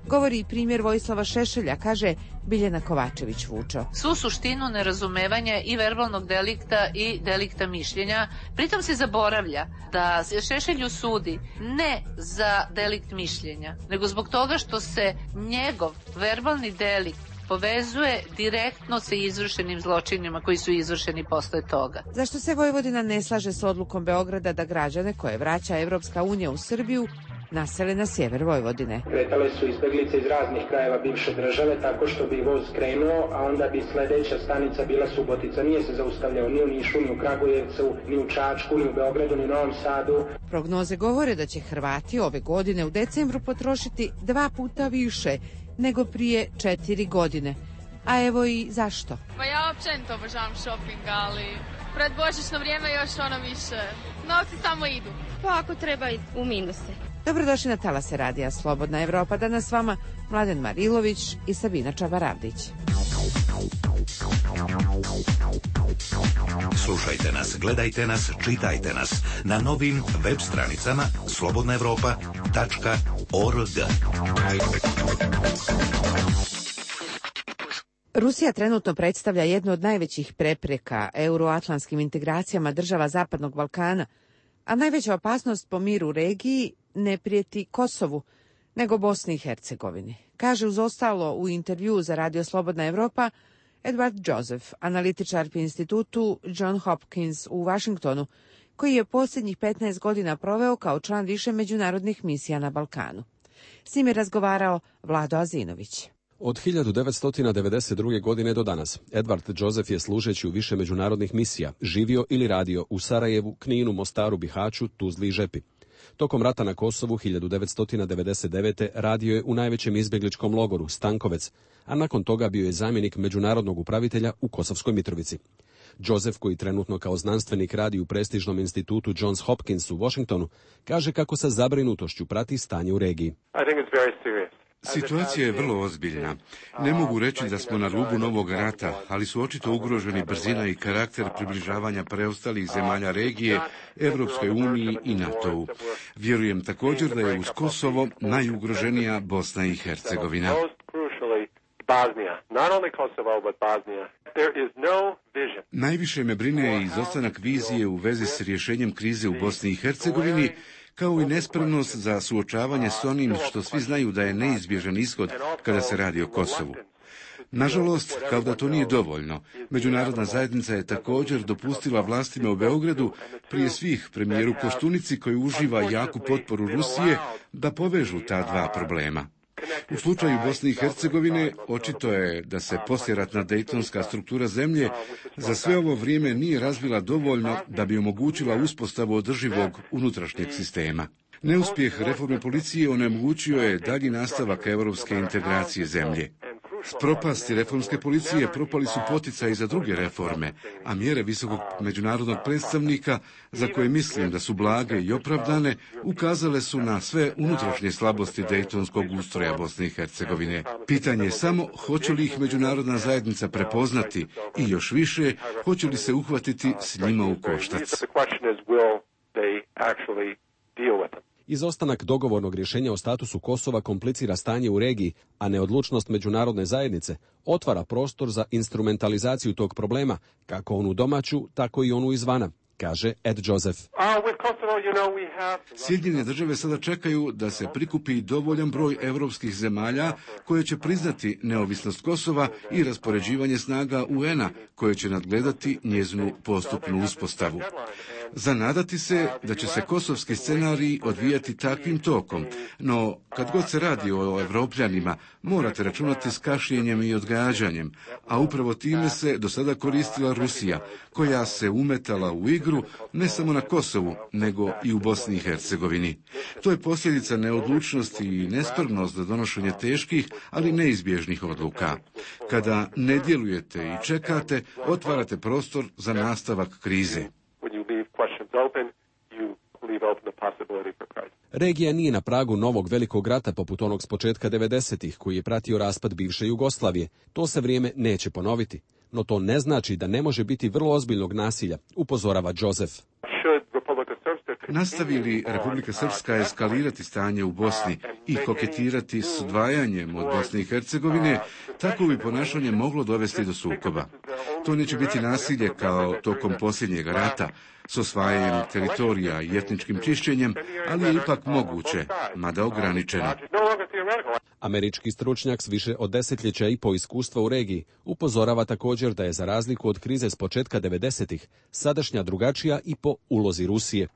govori i primjer Vojislava Šešelja, kaže Biljana Kovačević-Vučo. Svu suštinu nerazumevanja i verbalnog delikta i delikta mišljenja, pritom se zaboravlja da se Šešelju sudi ne za delikt mišljenja, nego zbog toga što se njegov verbalni delikt povezuje direktno sa izvršenim zločinima koji su izvršeni posle toga. Zašto se Vojvodina ne slaže s odlukom Beograda da građane koje vraća Evropska unija u Srbiju nasele na sjever Vojvodine? Kretale su izbeglice iz raznih krajeva bivše države tako što bi voz krenuo, a onda bi sledeća stanica bila Subotica. Nije se zaustavljao ni u Nišu, ni u Kragujevcu, ni u Čačku, ni u Beogradu, ni u Novom Sadu. Prognoze govore da će Hrvati ove godine u decembru potrošiti 2 puta više nego prije 4 godine. A evo i zašto. Pa ja općenito obožavam shopping, ali pred božićno vrijeme još više. Novci samo idu. Pa ako treba u minuse. Dobrodošli na talase radija Slobodna Evropa. Danas s vama Mladen Marilović i Sabina Čabaravdić. Slušajte nas, gledajte nas, čitajte nas na novim web stranicama slobodnaevropa.org. Rusija trenutno predstavlja jednu od najvećih prepreka euroatlantskim integracijama država Zapadnog Balkana, a najveća opasnost po miru u regiji ne prijeti Kosovu, nego Bosni i Hercegovini. Kaže uz ostalo u intervju za Radio Slobodna Evropa Edward Joseph, analitičar pri institutu John Hopkins u Vašingtonu, koji je posljednjih 15 godina proveo kao član više međunarodnih misija na Balkanu. S njim je razgovarao Vlado Azinović. Od 1992. godine do danas, Edward Joseph je služeći u više međunarodnih misija živio ili radio u Sarajevu, Kninu, Mostaru, Bihaću, Tuzli i Žepi. Tokom rata na Kosovu 1999. radio je u najvećem izbjegličkom logoru Stankovec, a nakon toga bio je zamjenik međunarodnog upravitelja u Kosovskoj Mitrovici. Joseph, koji trenutno kao znanstvenik radi u prestižnom institutu Johns Hopkins u Washingtonu, kaže kako sa zabrinutošću prati stanje u regiji. Situacija je vrlo ozbiljna. Ne mogu reći da smo na rubu novog rata, ali su očito ugroženi brzina i karakter približavanja preostalih zemalja regije, Evropskoj uniji i NATO-u. Vjerujem također da je uz Kosovo najugroženija Bosna i Hercegovina. Najviše me brine izostanak vizije u vezi s rješenjem krize u Bosni i Hercegovini, kao i nespremnost za suočavanje s onim što svi znaju da je neizbježan ishod kada se radi o Kosovu. Nažalost, kao da to nije dovoljno, međunarodna zajednica je također dopustila vlastima u Beogradu, prije svih premijeru Koštunici koji uživa jaku potporu Rusije, da povežu ta dva problema. U slučaju Bosne i Hercegovine očito je da se poslijeratna dejtonska struktura zemlje za sve ovo vrijeme nije razvila dovoljno da bi omogućila uspostavu održivog unutrašnjeg sistema. Neuspjeh reforme policije onemogućio je dalji nastavak europske integracije zemlje. S propasti reformske policije propali su poticaji za druge reforme, a mjere visokog međunarodnog predstavnika, za koje mislim da su blage i opravdane, ukazale su na sve unutrašnje slabosti dejtonskog ustroja Bosne i Hercegovine. Pitanje je samo hoće li ih međunarodna zajednica prepoznati i još više, hoće li se uhvatiti s njima u koštac. Izostanak dogovornog rješenja o statusu Kosova komplicira stanje u regiji, a neodlučnost međunarodne zajednice otvara prostor za instrumentalizaciju tog problema, kako onu domaću, tako i onu izvana, kaže Ed Joseph. Sjedinjene države sada čekaju da se prikupi dovoljan broj europskih zemalja koje će priznati neovisnost Kosova i raspoređivanje snaga UN-a koje će nadgledati njezinu postupnu uspostavu. Zanadati se da će se kosovski scenarij odvijati takvim tokom, no kad god se radi o Evropljanima, morate računati s kašnjenjem i odgađanjem, a upravo time se do sada koristila Rusija, koja se umetala u igru ne samo na Kosovu, nego i u Bosni i Hercegovini. To je posljedica neodlučnosti i nespremnost za donošenje teških, ali neizbježnih odluka. Kada ne djelujete i čekate, otvarate prostor za nastavak krize. Regija nije na pragu novog velikog rata poput onog s početka 90-ih koji je pratio raspad bivše Jugoslavije. To se vrijeme neće ponoviti, no to ne znači da ne može biti vrlo ozbiljnog nasilja, upozorava Joseph. Nastavi li Republika Srpska eskalirati stanje u Bosni i koketirati s odvajanjem od Bosne i Hercegovine, tako bi ponašanje moglo dovesti do sukoba. To neće biti nasilje kao tokom posljednjeg rata, s osvajanjem teritorija i etničkim čišćenjem, ali je ipak moguće, mada ograničeno. Američki stručnjak s više od desetljeća i po iskustva u regiji upozorava također da je za razliku od krize s početka 90-ih sadašnja drugačija i po ulozi Rusije.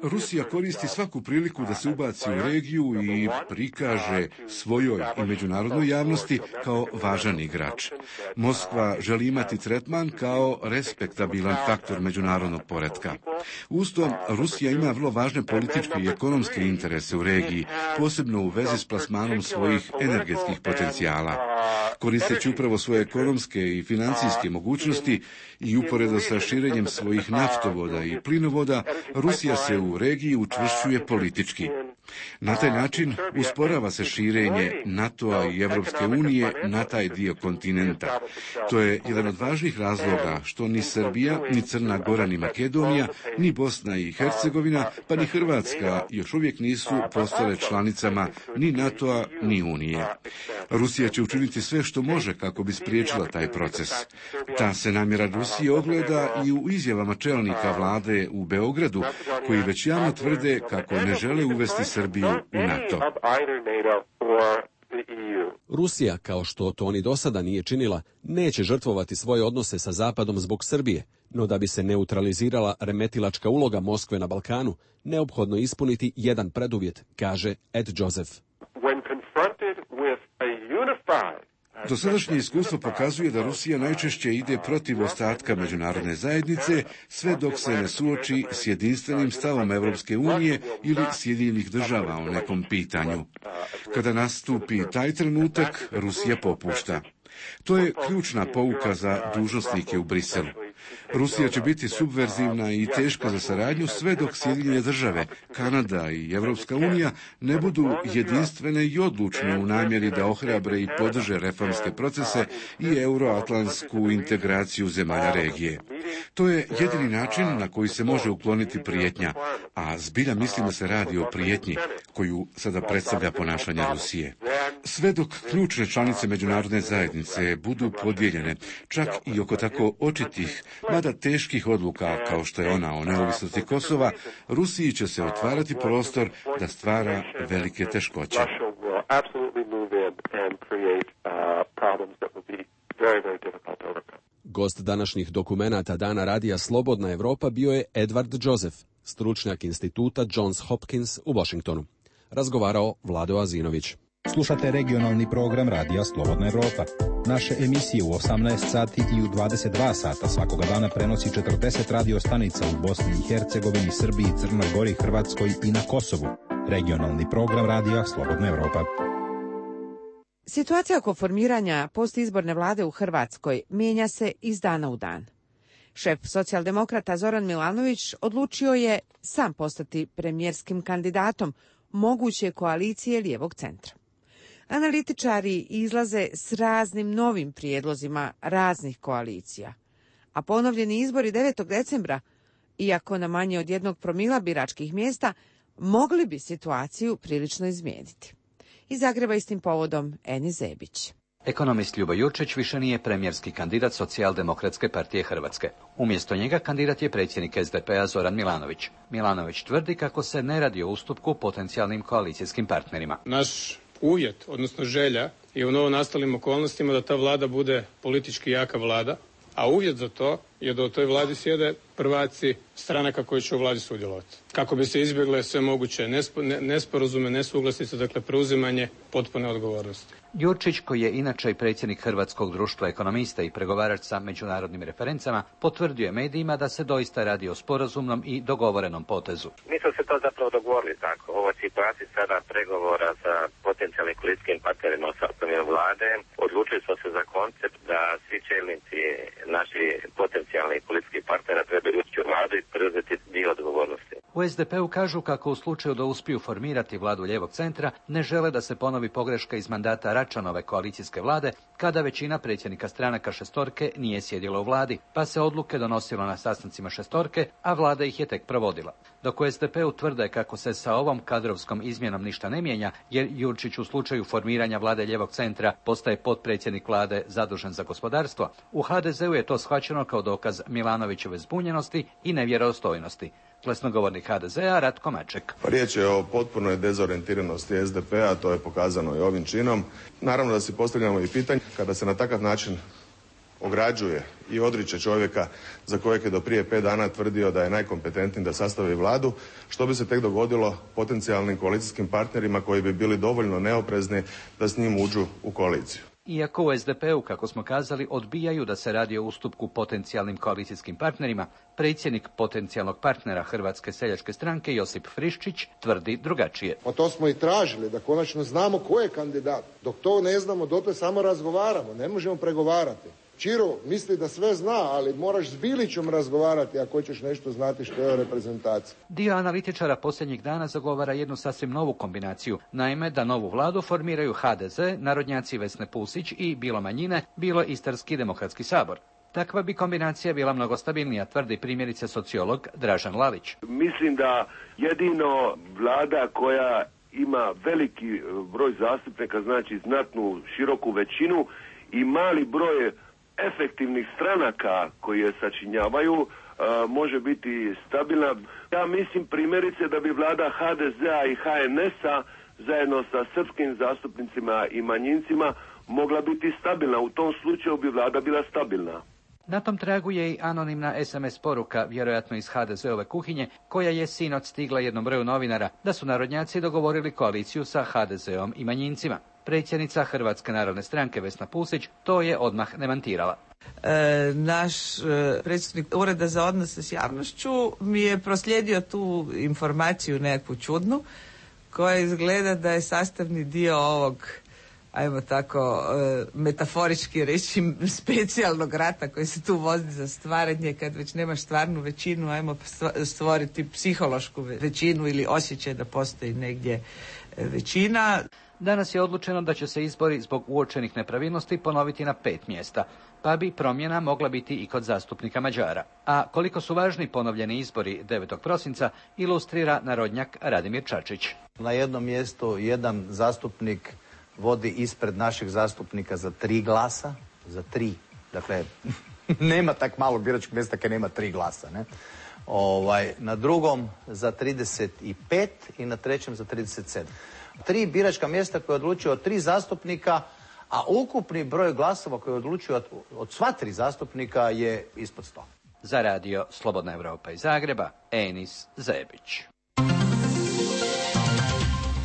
Rusija koristi svaku priliku da se ubaci u regiju i prikaže svojoj i međunarodnoj javnosti kao važan igrač. Moskva želi imati tretman kao respektabilan faktor međunarodnog poretka. Uz to, Rusija ima vrlo važne političke i ekonomske interese u regiji, posebno u vezi s plasmanom svojih energetskih potencijala. Koristeći upravo svoje ekonomske i financijske mogućnosti i uporedo sa širenjem svojih naftovoda i plinovoda, Rusija se u regiji učvršćuje politički. Na taj način usporava se širenje NATO-a i Evropske unije na taj dio kontinenta. To je jedan od važnih razloga što ni Srbija, ni Crna Gora, ni Makedonija, ni Bosna i Hercegovina, pa ni Hrvatska još uvijek nisu postale članicama ni NATO-a, ni Unije. Rusija će učiniti sve što može kako bi spriječila taj proces. Ta se namjera Rusije ogleda i u izjavama čelnika vlade u Beogradu, koji već javno tvrde kako ne žele uvesti Srbiju u NATO. Rusija, kao što to ni do sada nije činila, neće žrtvovati svoje odnose sa Zapadom zbog Srbije, no da bi se neutralizirala remetilačka uloga Moskve na Balkanu, neophodno ispuniti jedan preduvjet, kaže Ed Joseph. Dosadašnje iskustvo pokazuje da Rusija najčešće ide protiv ostatka međunarodne zajednice, sve dok se ne suoči s jedinstvenim stavom Evropske unije ili Sjedinjenih država o nekom pitanju. Kada nastupi taj trenutak, Rusija popušta. To je ključna pouka za dužnosnike u Briselu. Rusija će biti subverzivna i teška za saradnju sve dok Sjedinjene države, Kanada i Evropska unija ne budu jedinstvene i odlučne u namjeri da ohrabre i podrže reformske procese i euroatlantsku integraciju zemalja regije. To je jedini način na koji se može ukloniti prijetnja, a zbilja mislim da se radi o prijetnji koju sada predstavlja ponašanje Rusije. Sve dok ključne članice međunarodne zajednice budu podijeljene, čak i oko tako očitih, mada teških odluka kao što je ona o neovisnosti Kosova, Rusiji će se otvarati prostor da stvara velike teškoće. Gost današnjih dokumenata Dana radija Slobodna Evropa bio je Edward Joseph, stručnjak instituta Johns Hopkins u Washingtonu. Razgovarao Vlado Azinović. Slušate regionalni program radija Slobodna Evropa. Naše emisije u 18 sati i u 22 sata svakoga dana prenosi 40 radio stanica u Bosni i Hercegovini, Srbiji, Crnoj Gori, Hrvatskoj i na Kosovu. Regionalni program radija Slobodna Evropa. Situacija oko formiranja postizborne vlade u Hrvatskoj mijenja se iz dana u dan. Šef socijaldemokrata Zoran Milanović odlučio je sam postati premijerskim kandidatom moguće koalicije lijevog centra. Analitičari izlaze s raznim novim prijedlozima raznih koalicija, a ponovljeni izbori 9. decembra, iako na manje od 1 promila biračkih mjesta, mogli bi situaciju prilično izmijeniti. Iz Zagreba istim povodom Eni Zebić. Ekonomist Ljubo Jurčić više nije premijerski kandidat Socijaldemokratske partije Hrvatske. Umjesto njega kandidat je predsjednik SDP-a Zoran Milanović. Milanović tvrdi kako se ne radi o ustupku potencijalnim koalicijskim partnerima. Naš uvjet, odnosno želja, je u novonastalim okolnostima da ta vlada bude politički jaka vlada, a uvjet za to je da u toj vladi sjede prvaci stranaka koji će u vladi sudjelovati. Kako bi se izbjegle sve moguće nesporazume, nesuglasice, dakle preuzimanje potpune odgovornosti. Jurčić, koji je inače i predsjednik Hrvatskog društva ekonomista i pregovarač sa međunarodnim referencama, potvrdio je medijima da se doista radi o sporazumnom i dogovorenom potezu. Mi smo se to zapravo dogovorili tako. U ovoj situaciji sada pregovora sa potencijalnim koalicijskim partnerima u sastavu vlade, odlučili smo se za koncept da svi čelnici naši potencijalni politički partnera trebaju ući u vladu i preuzeti dio odgovornosti. U SDP-u kažu kako u slučaju da uspiju formirati vladu lijevog centra, ne žele da se ponovi pogreška iz mandata Račanove koalicijske vlade, kada većina predsjednika stranaka šestorke nije sjedila u vladi, pa se odluke donosilo na sastancima šestorke, a vlada ih je tek provodila. Dok u SDP-u tvrde kako se sa ovom kadrovskom izmjenom ništa ne mijenja, jer Jurčić u slučaju formiranja vlade lijevog centra postaje potpredsjednik vlade zadužen za gospodarstvo, u HDZ-u je to shvaćeno kao dokaz Milanovićeve zbunjenosti i nevjerodostojnosti. Glasnogovornik HDZ-a Ratko Maček. Riječ je o potpunoj dezorijentiranosti SDP-a, to je pokazano i ovim činom. Naravno da si postavljamo i pitanje, kada se na takav način ograđuje i odriče čovjeka za kojeg je do prije 5 dana tvrdio da je najkompetentniji da sastavi vladu, što bi se tek dogodilo potencijalnim koalicijskim partnerima koji bi bili dovoljno neoprezni da s njim uđu u koaliciju. Iako u SDP-u, kako smo kazali, odbijaju da se radi o ustupku potencijalnim koalicijskim partnerima, predsjednik potencijalnog partnera Hrvatske seljačke stranke Josip Friščić tvrdi drugačije. Pa to smo i tražili, da konačno znamo ko je kandidat. Dok to ne znamo, dotle samo razgovaramo, ne možemo pregovarati. Čiro misli da sve zna, ali moraš s Bilićom razgovarati ako hoćeš nešto znati što je o reprezentaciji. Dio analitičara posljednjih dana zagovara jednu sasvim novu kombinaciju. Naime, da novu vladu formiraju HDZ, narodnjaci Vesne Pusić i bilo manjine, bilo Istarski demokratski sabor. Takva bi kombinacija bila mnogo stabilnija, tvrdi primjerice sociolog Dražen Lalić. Mislim da jedino vlada koja ima veliki broj zastupnika, znači znatnu široku većinu i mali broj efektivnih stranaka koji je sačinjavaju, može biti stabilna. Ja mislim primjerice da bi vlada HDZ-a i HNS-a zajedno sa srpskim zastupnicima i manjincima mogla biti stabilna. U tom slučaju bi vlada bila stabilna. Na tom tragu je i anonimna SMS poruka, vjerojatno iz HDZ-ove kuhinje, koja je sinoć stigla jednom broju novinara, da su narodnjaci dogovorili koaliciju sa HDZ-om i manjincima. Predsjednica Hrvatske narodne stranke Vesna Pusić to je odmah demantirala. Naš predsjednik Ureda za odnose s javnošću mi je proslijedio tu informaciju nekakvu čudnu, koja izgleda da je sastavni dio ovog, ajmo tako metaforički reći, specijalnog rata koji se tu vodi za stvaranje, kad već nemaš stvarnu većinu, ajmo stvoriti psihološku većinu ili osjećaj da postoji negdje većina. Danas je odlučeno da će se izbori zbog uočenih nepravilnosti ponoviti na 5 mjesta, pa bi promjena mogla biti i kod zastupnika Mađara. A koliko su važni ponovljeni izbori 9. prosinca ilustrira narodnjak Radimir Čačić. Na jednom mjestu jedan zastupnik vodi ispred našeg zastupnika za 3 glasa, za 3. Dakle, nema tak malog biračkog mjesta kad nema 3 glasa, ne? Na drugom za 35 i na trećem za 37. 3 biračka mjesta koje odlučuju od 3 zastupnika, a ukupni broj glasova koji odlučuju od sva 3 zastupnika je ispod 100. Za radio Slobodna Europa iz Zagreba, Enis Zebić.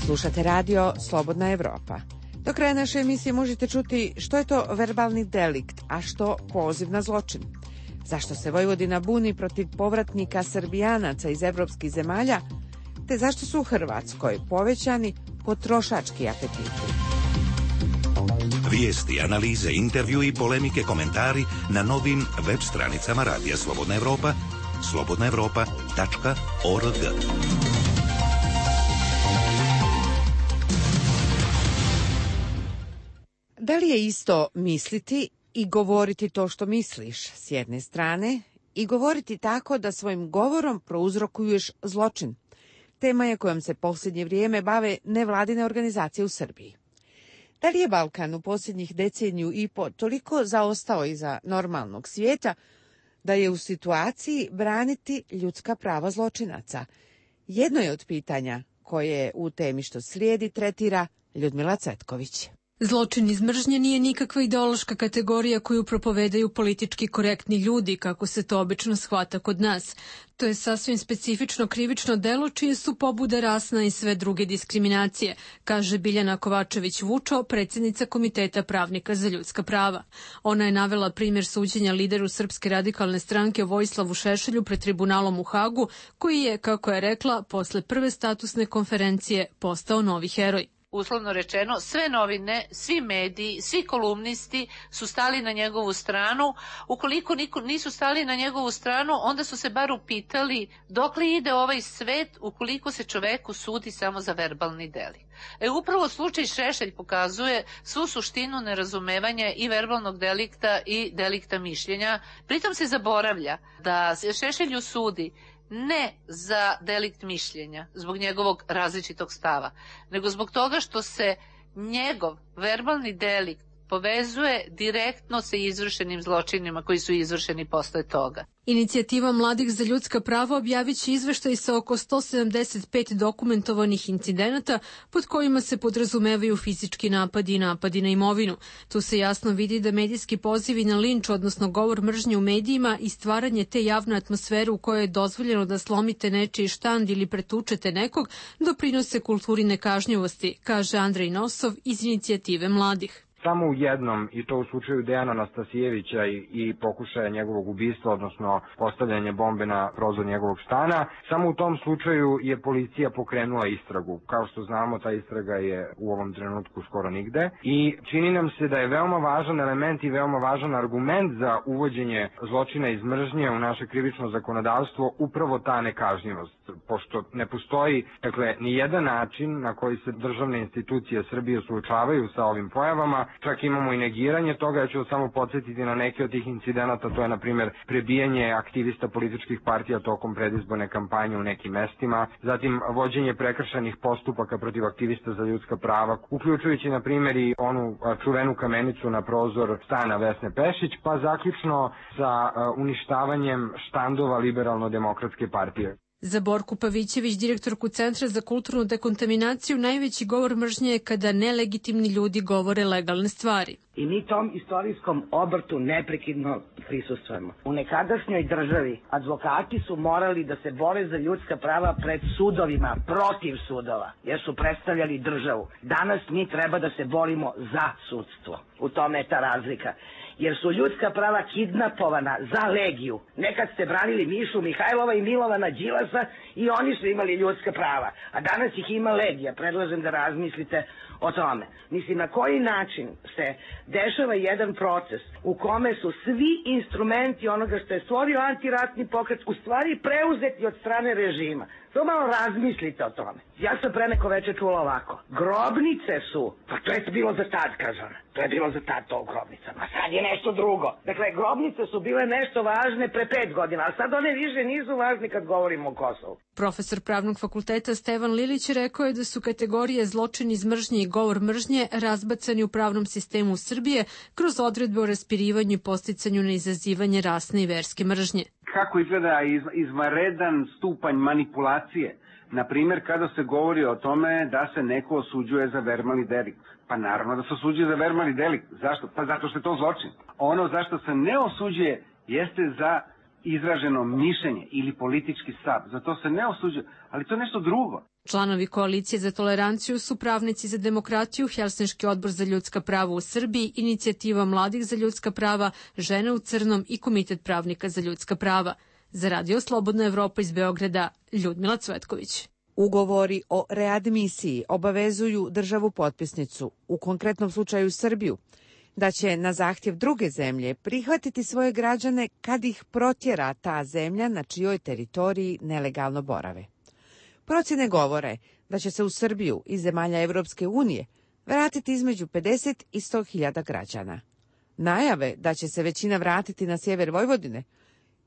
Slušate radio Slobodna Europa. Do kraja naše emisije možete čuti što je to verbalni delikt, a što poziv na zločin. Zašto se Vojvodina buni protiv povratnika Srbijanaca iz evropskih zemalja, te zašto su u Hrvatskoj povećani potrošački apetiti. Vijesti, analize, intervju i polemike, komentari na novim web stranicama Radija Slobodna Evropa, slobodnaevropa.org. Da li je isto misliti i govoriti to što misliš s jedne strane i govoriti tako da svojim govorom prouzrokuješ zločin? Tema je kojom se posljednje vrijeme bave nevladine organizacije u Srbiji. Da li je Balkan u posljednjih deceniju i po toliko zaostao iza normalnog svijeta da je u situaciji braniti ljudska prava zločinaca? Jedno je od pitanja koje u temi što slijedi tretira Ljudmila Cvetković. Zločin iz mržnje nije nikakva ideološka kategorija koju propovedaju politički korektni ljudi, kako se to obično shvata kod nas. To je sasvim specifično krivično delo čije su pobude rasna i sve druge diskriminacije, kaže Biljana Kovačević-Vučo, predsjednica Komiteta pravnika za ljudska prava. Ona je navela primjer suđenja lideru Srpske radikalne stranke Vojislavu Šešelju pred tribunalom u Hagu, koji je, kako je rekla, posle prve statusne konferencije postao novi heroj. Uslovno rečeno, sve novine, svi mediji, svi kolumnisti su stali na njegovu stranu. Ukoliko nisu stali na njegovu stranu, onda su se bar upitali dokle ide ovaj svet ukoliko se čoveku sudi samo za verbalni delikt. Upravo slučaj Šešelj pokazuje svu suštinu nerazumevanja i verbalnog delikta i delikta mišljenja. Pritom se zaboravlja da se Šešelju sudi ne za delikt mišljenja, zbog njegovog različitog stava, nego zbog toga što se njegov verbalni delikt povezuje direktno sa izvršenim zločinima koji su izvršeni posle toga. Inicijativa Mladih za ljudska prava objavit će izveštaj sa oko 175 dokumentovanih incidenata pod kojima se podrazumevaju fizički napadi i napadi na imovinu. Tu se jasno vidi da medijski pozivi na linč, odnosno govor mržnje u medijima i stvaranje te javne atmosfere u kojoj je dozvoljeno da slomite nečiji štand ili pretučete nekog, doprinose kulturi nekažnjivosti, kaže Andrej Nosov iz Inicijative Mladih. Samo u jednom, i to u slučaju Dejana Anastasijevića i pokušaja njegovog ubistva, odnosno postavljanje bombe na prozor njegovog stana, samo u tom slučaju je policija pokrenula istragu. Kao što znamo, ta istraga je u ovom trenutku skoro nigde i čini nam se da je veoma važan element i veoma važan argument za uvođenje zločina iz mržnje u naše krivično zakonodavstvo upravo ta nekažnjivost, pošto ne postoji, ni jedan način na koji se državne institucije Srbije suočavaju sa ovim pojavama. Čak imamo i negiranje toga, ja ću samo podsjetiti na neke od tih incidenata, to je na primjer prebijanje aktivista političkih partija tokom predizborne kampanje u nekim mestima, zatim vođenje prekršajnih postupaka protiv aktivista za ljudska prava, uključujući na primjer i onu čuvenu kamenicu na prozor stana Vesne Pešić, pa zaključno sa uništavanjem štandova Liberalno-demokratske partije. Za Borku Pavićević, direktorku Centra za kulturnu dekontaminaciju, najveći govor mržnje je kada nelegitimni ljudi govore legalne stvari. I mi tom istorijskom obrtu neprekidno prisustvujemo. U nekadašnjoj državi advokati su morali da se bore za ljudska prava pred sudovima, protiv sudova, jer su predstavljali državu. Danas mi treba da se borimo za sudstvo. U tome je ta razlika. Jer su ljudska prava kidnapovana za legiju. Nekad ste branili Mišu Mihajlova i Milovana Đilasa i oni su imali ljudska prava. A danas ih ima legija. Predlažem da razmislite o tome. Mislim, na koji način se dešava jedan proces u kome su svi instrumenti onoga što je stvorio antiratni pokret u stvari preuzeti od strane režima. To malo razmislite o tome. Ja sam pre neko veče čula ovako. Grobnice su, pa to je bilo za tad, kaže ona. To je bilo za tad to u grobnicama. A sad je nešto drugo. Dakle, grobnice su bile nešto važne pre 5 godina, a sad one više nisu važne kad govorimo o Kosovu. Profesor Pravnog fakulteta Stevan Lilić rekao je da su kategorije zločin iz mržnje i govor mržnje razbacani u pravnom sistemu Srbije kroz odredbe o raspirivanju i podsticanju na izazivanje rasne i verske mržnje. Kako izgleda izvanredan stupanj manipulacije? Na primjer, kada se govori o tome da se neko osuđuje za verbalni delikt. Pa naravno da se osuđuje za verbalni delikt. Zašto? Pa zato što je to zločin. Ono zašto se ne osuđuje jeste za izraženo mišljenje ili politički stav. Zato se ne osuđuje, ali to je nešto drugo. Članovi Koalicije za toleranciju su Pravnici za demokratiju, Helsinški odbor za ljudska prava u Srbiji, Inicijativa Mladih za ljudska prava, Žene u crnom i Komitet pravnika za ljudska prava. Za Radio Slobodna Evropa iz Beograda, Ljudmila Cvetković. Ugovori o readmisiji obavezuju državu potpisnicu, u konkretnom slučaju Srbiju, da će na zahtjev druge zemlje prihvatiti svoje građane kad ih protjera ta zemlja na čijoj teritoriji nelegalno borave. Procjene govore da će se u Srbiju iz zemalja Evropske unije vratiti između 50 i 100.000 građana. Najave da će se većina vratiti na sjever Vojvodine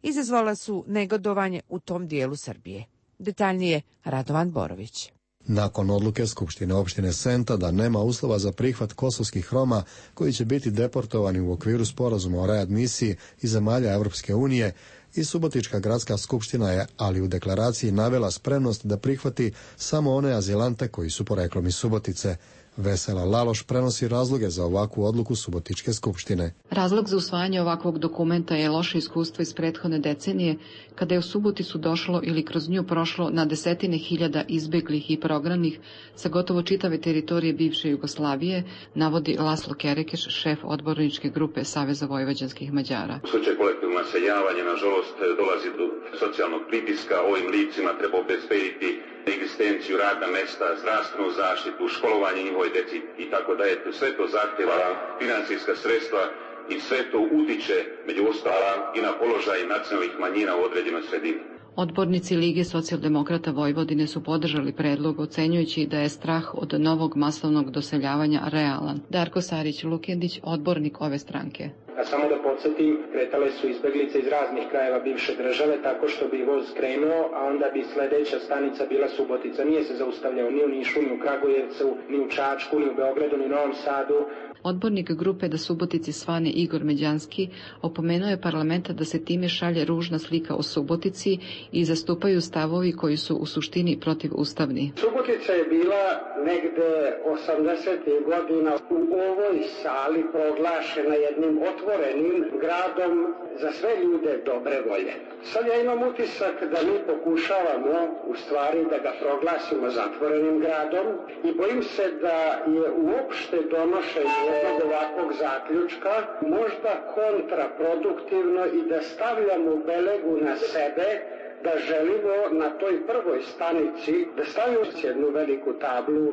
izazvala su negodovanje u tom dijelu Srbije. Detaljnije Radovan Borović. Nakon odluke Skupštine opštine Senta da nema uslova za prihvat kosovskih Roma koji će biti deportovani u okviru sporazuma o readmisiji iz zemalja Evropske unije, i Subotička gradska skupština je, ali u deklaraciji, navela spremnost da prihvati samo one azilante koji su poreklom iz Subotice. Vesela Laloš prenosi razloge za ovakvu odluku Subotičke skupštine. Razlog za usvajanje ovakvog dokumenta je loše iskustvo iz prethodne decenije, kada je u Suboticu došlo ili kroz nju prošlo na desetine hiljada izbeglih i prognanih sa gotovo čitave teritorije bivše Jugoslavije, navodi Laslo Kerekeš, šef odborničke grupe Saveza vojvođanskih Mađara. U slučaju kolektivnog naseljavanja, nažalost, dolazi do socijalnog pritiska. Ovim licima treba obezbediti egzistenciju, radna mesta, zdravstvenu zaštitu, školovanje njihove deci i tako da je sve to zahtjeva financijska sredstva i sve to utiče među ostalim i na položaj nacionalnih manjina u određenoj sredini. Odbornici Lige socijaldemokrata Vojvodine su podržali predlog, ocenjujući da je strah od novog masovnog doseljavanja realan. Darko Sarić-Lukendić, odbornik ove stranke. A samo da podsjetim, kretale su izbeglice iz raznih krajeva bivše države tako što bi voz krenuo, a onda bi sledeća stanica bila Subotica. Nije se zaustavljao ni u Nišu, ni u Kragujevcu, ni u Čačku, ni u Beogradu, ni u Novom Sadu. Odbornik grupe Da Subotici svane Igor Međanski opomenuo je parlamenta da se time šalje ružna slika o Subotici i zastupaju stavovi koji su u suštini protivustavni. Subotica je bila negde 80. godina u ovoj sali proglašena jednim otvorenim gradom za sve ljude dobre volje. Sad ja imam utisak da mi pokušavamo u stvari da ga proglasimo zatvorenim gradom i bojim se da je uopšte donošenje jednog ovakvog zaključka možda kontraproduktivno i da stavljamo belegu na sebe, da želimo na toj prvoj stanici da stavimo jednu veliku tablu: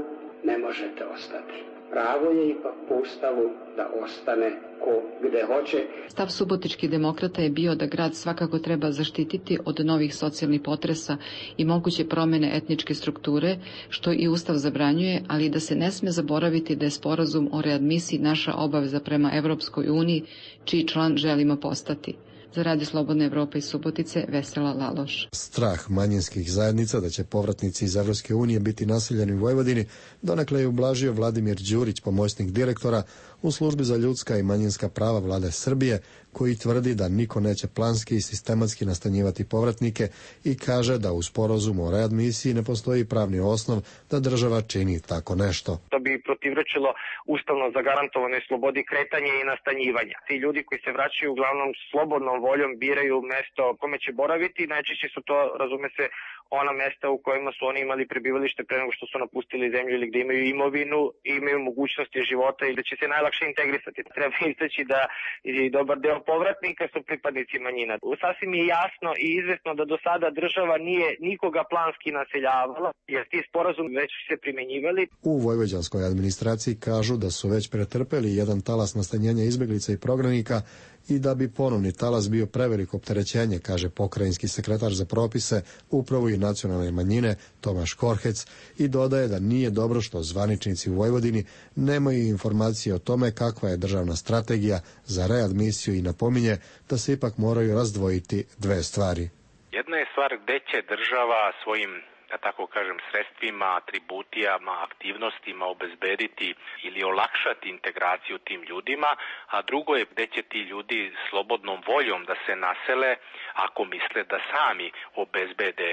ne možete ostati. Pravo je ipak po Ustavu da ostane ko gde hoće. Stav subotičkih demokrata je bio da grad svakako treba zaštititi od novih socijalnih potresa i moguće promene etničke strukture, što i Ustav zabranjuje, ali da se ne sme zaboraviti da je sporazum o readmisiji naša obaveza prema Evropskoj uniji, čiji član želimo postati. Za Radio Slobodne Evrope iz Subotice, Vesela Laloš. Strah manjinskih zajednica da će povratnici iz Evropske unije biti naseljeni u Vojvodini donekle je ublažio Vladimir Đurić, pomoćnik direktora u službi za ljudska i manjinska prava Vlade Srbije, koji tvrdi da niko neće planski i sistematski nastanjivati povratnike i kaže da u sporazumu o readmisiji ne postoji pravni osnov da država čini tako nešto. To bi protivrečilo ustavno zagarantovanoj slobodi kretanja i nastanjivanja. Ti ljudi koji se vraćaju uglavnom slobodnom voljom biraju mesto kome će boraviti, najčešće su to, razume se, ona mesta u kojima su oni imali prebivalište pre nego što su napustili zemlju ili gde imaju imovinu i imaju mogućnosti života i da će se najlakše integrisati. Treba istaći da i dobar deo povratnika su pripadnici manjina. Sasvim je jasno i izvesno da do sada država nije nikoga planski naseljavala, jer ti sporazum već se primenjivali. U vojvođanskoj administraciji kažu da su već pretrpeli jedan talas nastanjenja izbeglica i prognanika i da bi ponovni talas bio preveliko opterećenje, kaže pokrajinski sekretar za propise, upravu i nacionalne manjine Tomaš Korhec, i dodaje da nije dobro što zvaničnici u Vojvodini nemaju informacije o tome kakva je državna strategija za readmisiju i napominje da se ipak moraju razdvojiti dve stvari. Jedna je stvar gde će država svojim, da tako kažem, sredstvima, atributijama, aktivnostima obezbediti ili olakšati integraciju tim ljudima, a drugo je gde će ti ljudi slobodnom voljom da se nasele ako misle da sami obezbede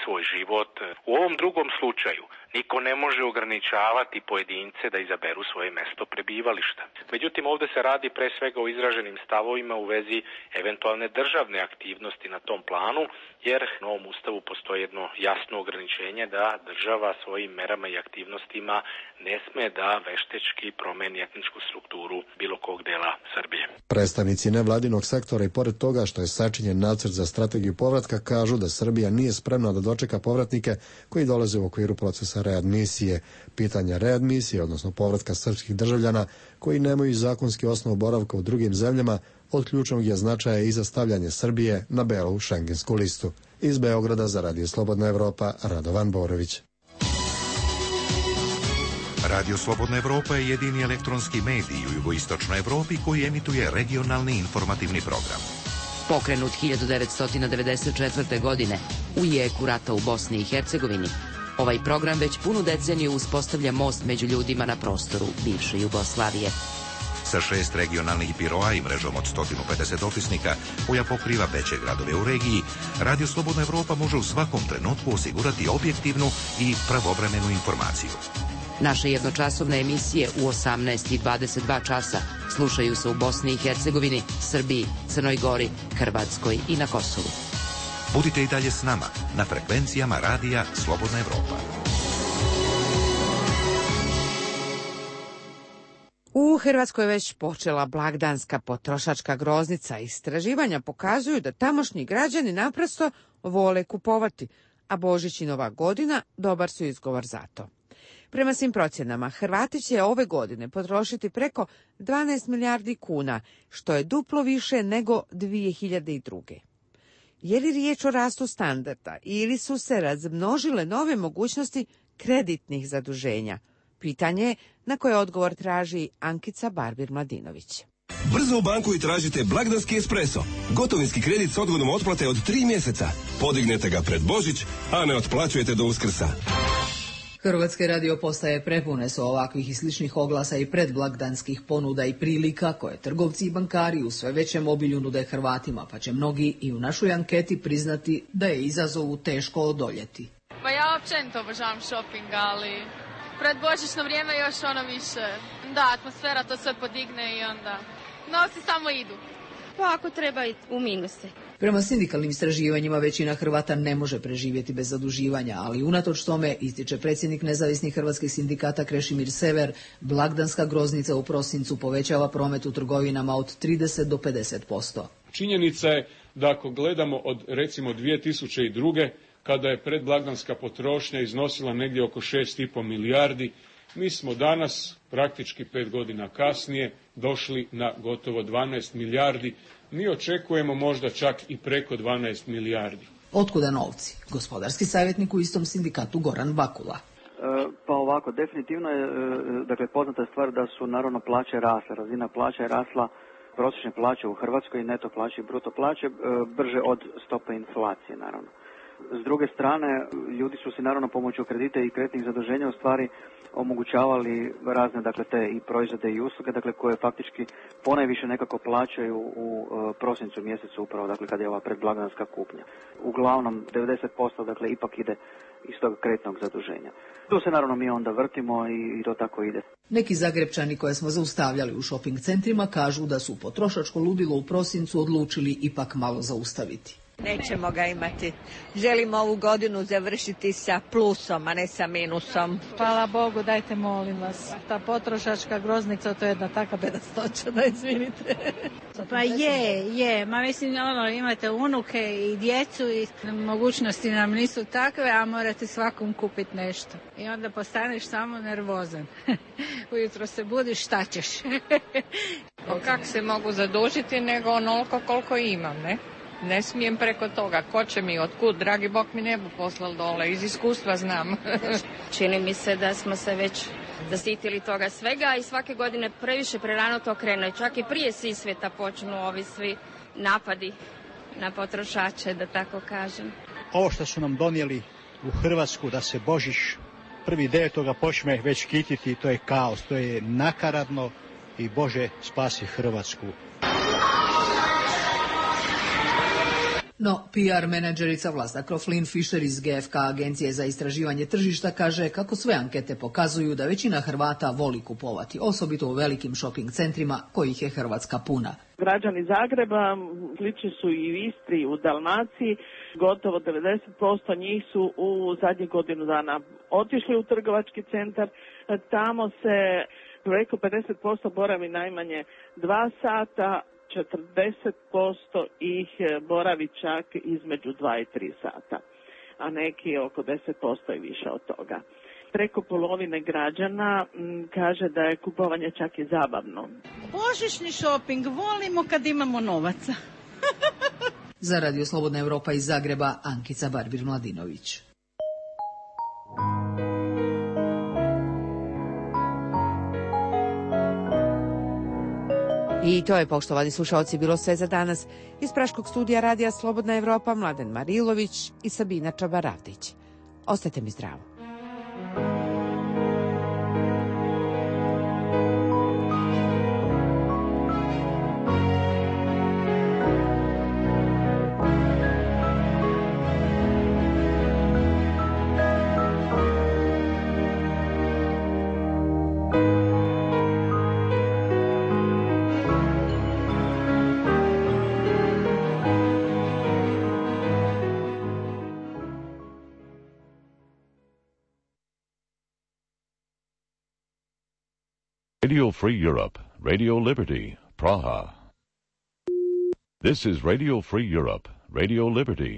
svoj život. U ovom drugom slučaju niko ne može ograničavati pojedince da izaberu svoje mesto prebivališta. Međutim, ovde se radi pre svega o izraženim stavovima u vezi eventualne državne aktivnosti na tom planu, jer u novom ustavu postoji jedno jasno ograničenje da država svojim merama i aktivnostima ne sme da veštečki promeni etničku strukturu bilo kog dela Srbije. Predstavnici nevladinog sektora i pored toga što je sačinjen nacrt za strategiju povratka kažu da Srbija nije spremna da dočeka povratnike koji dolaze u okviru procesa readmisije. Pitanja readmisije, odnosno povratka srpskih državljana koji nemaju zakonski osnov boravka u drugim zemljama, od ključnog je značaja i za stavljanje Srbije na belu šengensku listu. Iz Beograda za Radio Slobodna Evropa, Radovan Borović. Radio Slobodna Evropa je jedini elektronski medij u jugoistočnoj Evropi koji emituje regionalni informativni program. Pokrenut 1994. godine u jeku rata u Bosni i Hercegovini, ovaj program već punu deceniju uspostavlja most među ljudima na prostoru bivše Jugoslavije. Sa 6 regionalnih biroa i mrežom od 150 dopisnika koja pokriva veće gradove u regiji, Radio Slobodna Evropa može u svakom trenutku osigurati objektivnu i pravovremenu informaciju. Naše jednočasovne emisije u 18 i 22 časa slušaju se u Bosni i Hercegovini, Srbiji, Crnoj Gori, Hrvatskoj i na Kosovu. Budite i dalje s nama na frekvencijama Radija Slobodna Evropa. U Hrvatskoj je već počela blagdanska potrošačka groznica. Istraživanja pokazuju da tamošnji građani naprosto vole kupovati, a Božić i Nova godina dobar su izgovor za to. Prema svim procjenama, Hrvati će ove godine potrošiti preko 12 milijardi kuna, što je duplo više nego 2002. Je li riječ o rastu standarda ili su se razmnožile nove mogućnosti kreditnih zaduženja? Pitanje je na koje odgovor traži Ankica Barbir-Mladinović. Brzo u banku i tražite blagdanski espresso. Gotovinski kredit s odgodom otplate od 3 mjeseca. Podignete ga pred Božić, a ne otplaćujete do Uskrsa. Hrvatske radio postaje prepune su ovakvih i sličnih oglasa i predblagdanskih ponuda i prilika koje trgovci i bankari u sve većem obilju nude Hrvatima, pa će mnogi i u našoj anketi priznati da je izazovu teško odoljeti. Pa ja općenito obožavam shopping, ali pred božićno vrijeme još više. Da, atmosfera to sve podigne i onda novci samo idu. Pa ako treba i u minuse. Prema sindikalnim istraživanjima većina Hrvata ne može preživjeti bez zaduživanja, ali unatoč tome, ističe predsjednik nezavisnih hrvatskih sindikata Krešimir Sever, blagdanska groznica u prosincu povećava promet u trgovinama od 30 do 50%. Činjenica je da ako gledamo od recimo 2002. kada je predblagdanska potrošnja iznosila negdje oko 6,5 milijardi, mi smo danas, praktički 5 godina kasnije, došli na gotovo 12 milijardi. Mi očekujemo možda čak i preko 12 milijardi. Otkuda novci? Gospodarski savjetnik u istom sindikatu Goran Vakula. Pa ovako, definitivno je poznata stvar da su naravno plaće rasle. Razina plaća je rasla, prosječne plaće u Hrvatskoj, neto plaće i bruto plaće, brže od stope inflacije naravno. S druge strane, ljudi su si naravno pomoću kredita i kreditnih zaduženja u stvari omogućavali razne te i proizvode i usluge koje faktički ponajviše nekako plaćaju u prosincu mjesecu upravo kada je ova predblagdanska kupnja. Uglavnom 90% ipak ide iz tog kreditnog zaduženja. Tu se naravno mi onda vrtimo i to tako ide. Neki Zagrepčani koje smo zaustavljali u shopping centrima kažu da su potrošačko ludilo u prosincu odlučili ipak malo zaustaviti. Nećemo ga imati. Želimo ovu godinu završiti sa plusom, a ne sa minusom. Hvala Bogu, dajte molim vas. Ta potrošačka groznica, to je jedna taka bedastoća, da izvinite. Pa je. Ma mislim, imate unuke i djecu i mogućnosti nam nisu takve, a morate svakom kupiti nešto. I onda postaneš samo nervozan. Ujutro se budiš, šta ćeš? Kako se mogu zadužiti nego onoliko koliko imam, ne? Ne smijem preko toga. Ko će mi, otkud? Dragi Bog mi ne bu poslal dole. Iz iskustva znam. Čini mi se da smo se već zasitili toga svega i svake godine previše prerano to krene. Čak i prije Sisveta počnu ovi svi napadi na potrošače, da tako kažem. Ovo što su nam donijeli u Hrvatsku da se Božić 1.9. počne već kititi, to je kaos, to je nakaradno i Bože spasi Hrvatsku. No, PR menadžerica Vlasta Kroflin-Fischer iz GFK agencije za istraživanje tržišta kaže kako sve ankete pokazuju da većina Hrvata voli kupovati, osobito u velikim shopping centrima kojih je Hrvatska puna. Građani Zagreba, slični su i u Istri, u Dalmaciji, gotovo 90% njih su u zadnjih godinu dana otišli u trgovački centar, tamo se preko 50% boravi najmanje 2 sata, 40% ih boravi čak između 2 i 3 sata, a neki oko 10% i više od toga. Preko polovine građana kaže da je kupovanje čak i zabavno. Božićni šoping volimo kad imamo novaca. Za Radio Slobodna Evropa iz Zagreba, Ankica Barbir-Mladinović. I to je, poštovani slušalci, bilo sve za danas. Iz Praškog studija Radija Slobodna Evropa, Mladen Marilović i Sabina Čabaravdić. Ostajte mi zdravo. Radio Free Europe, Radio Liberty, Praha. This is Radio Free Europe, Radio Liberty.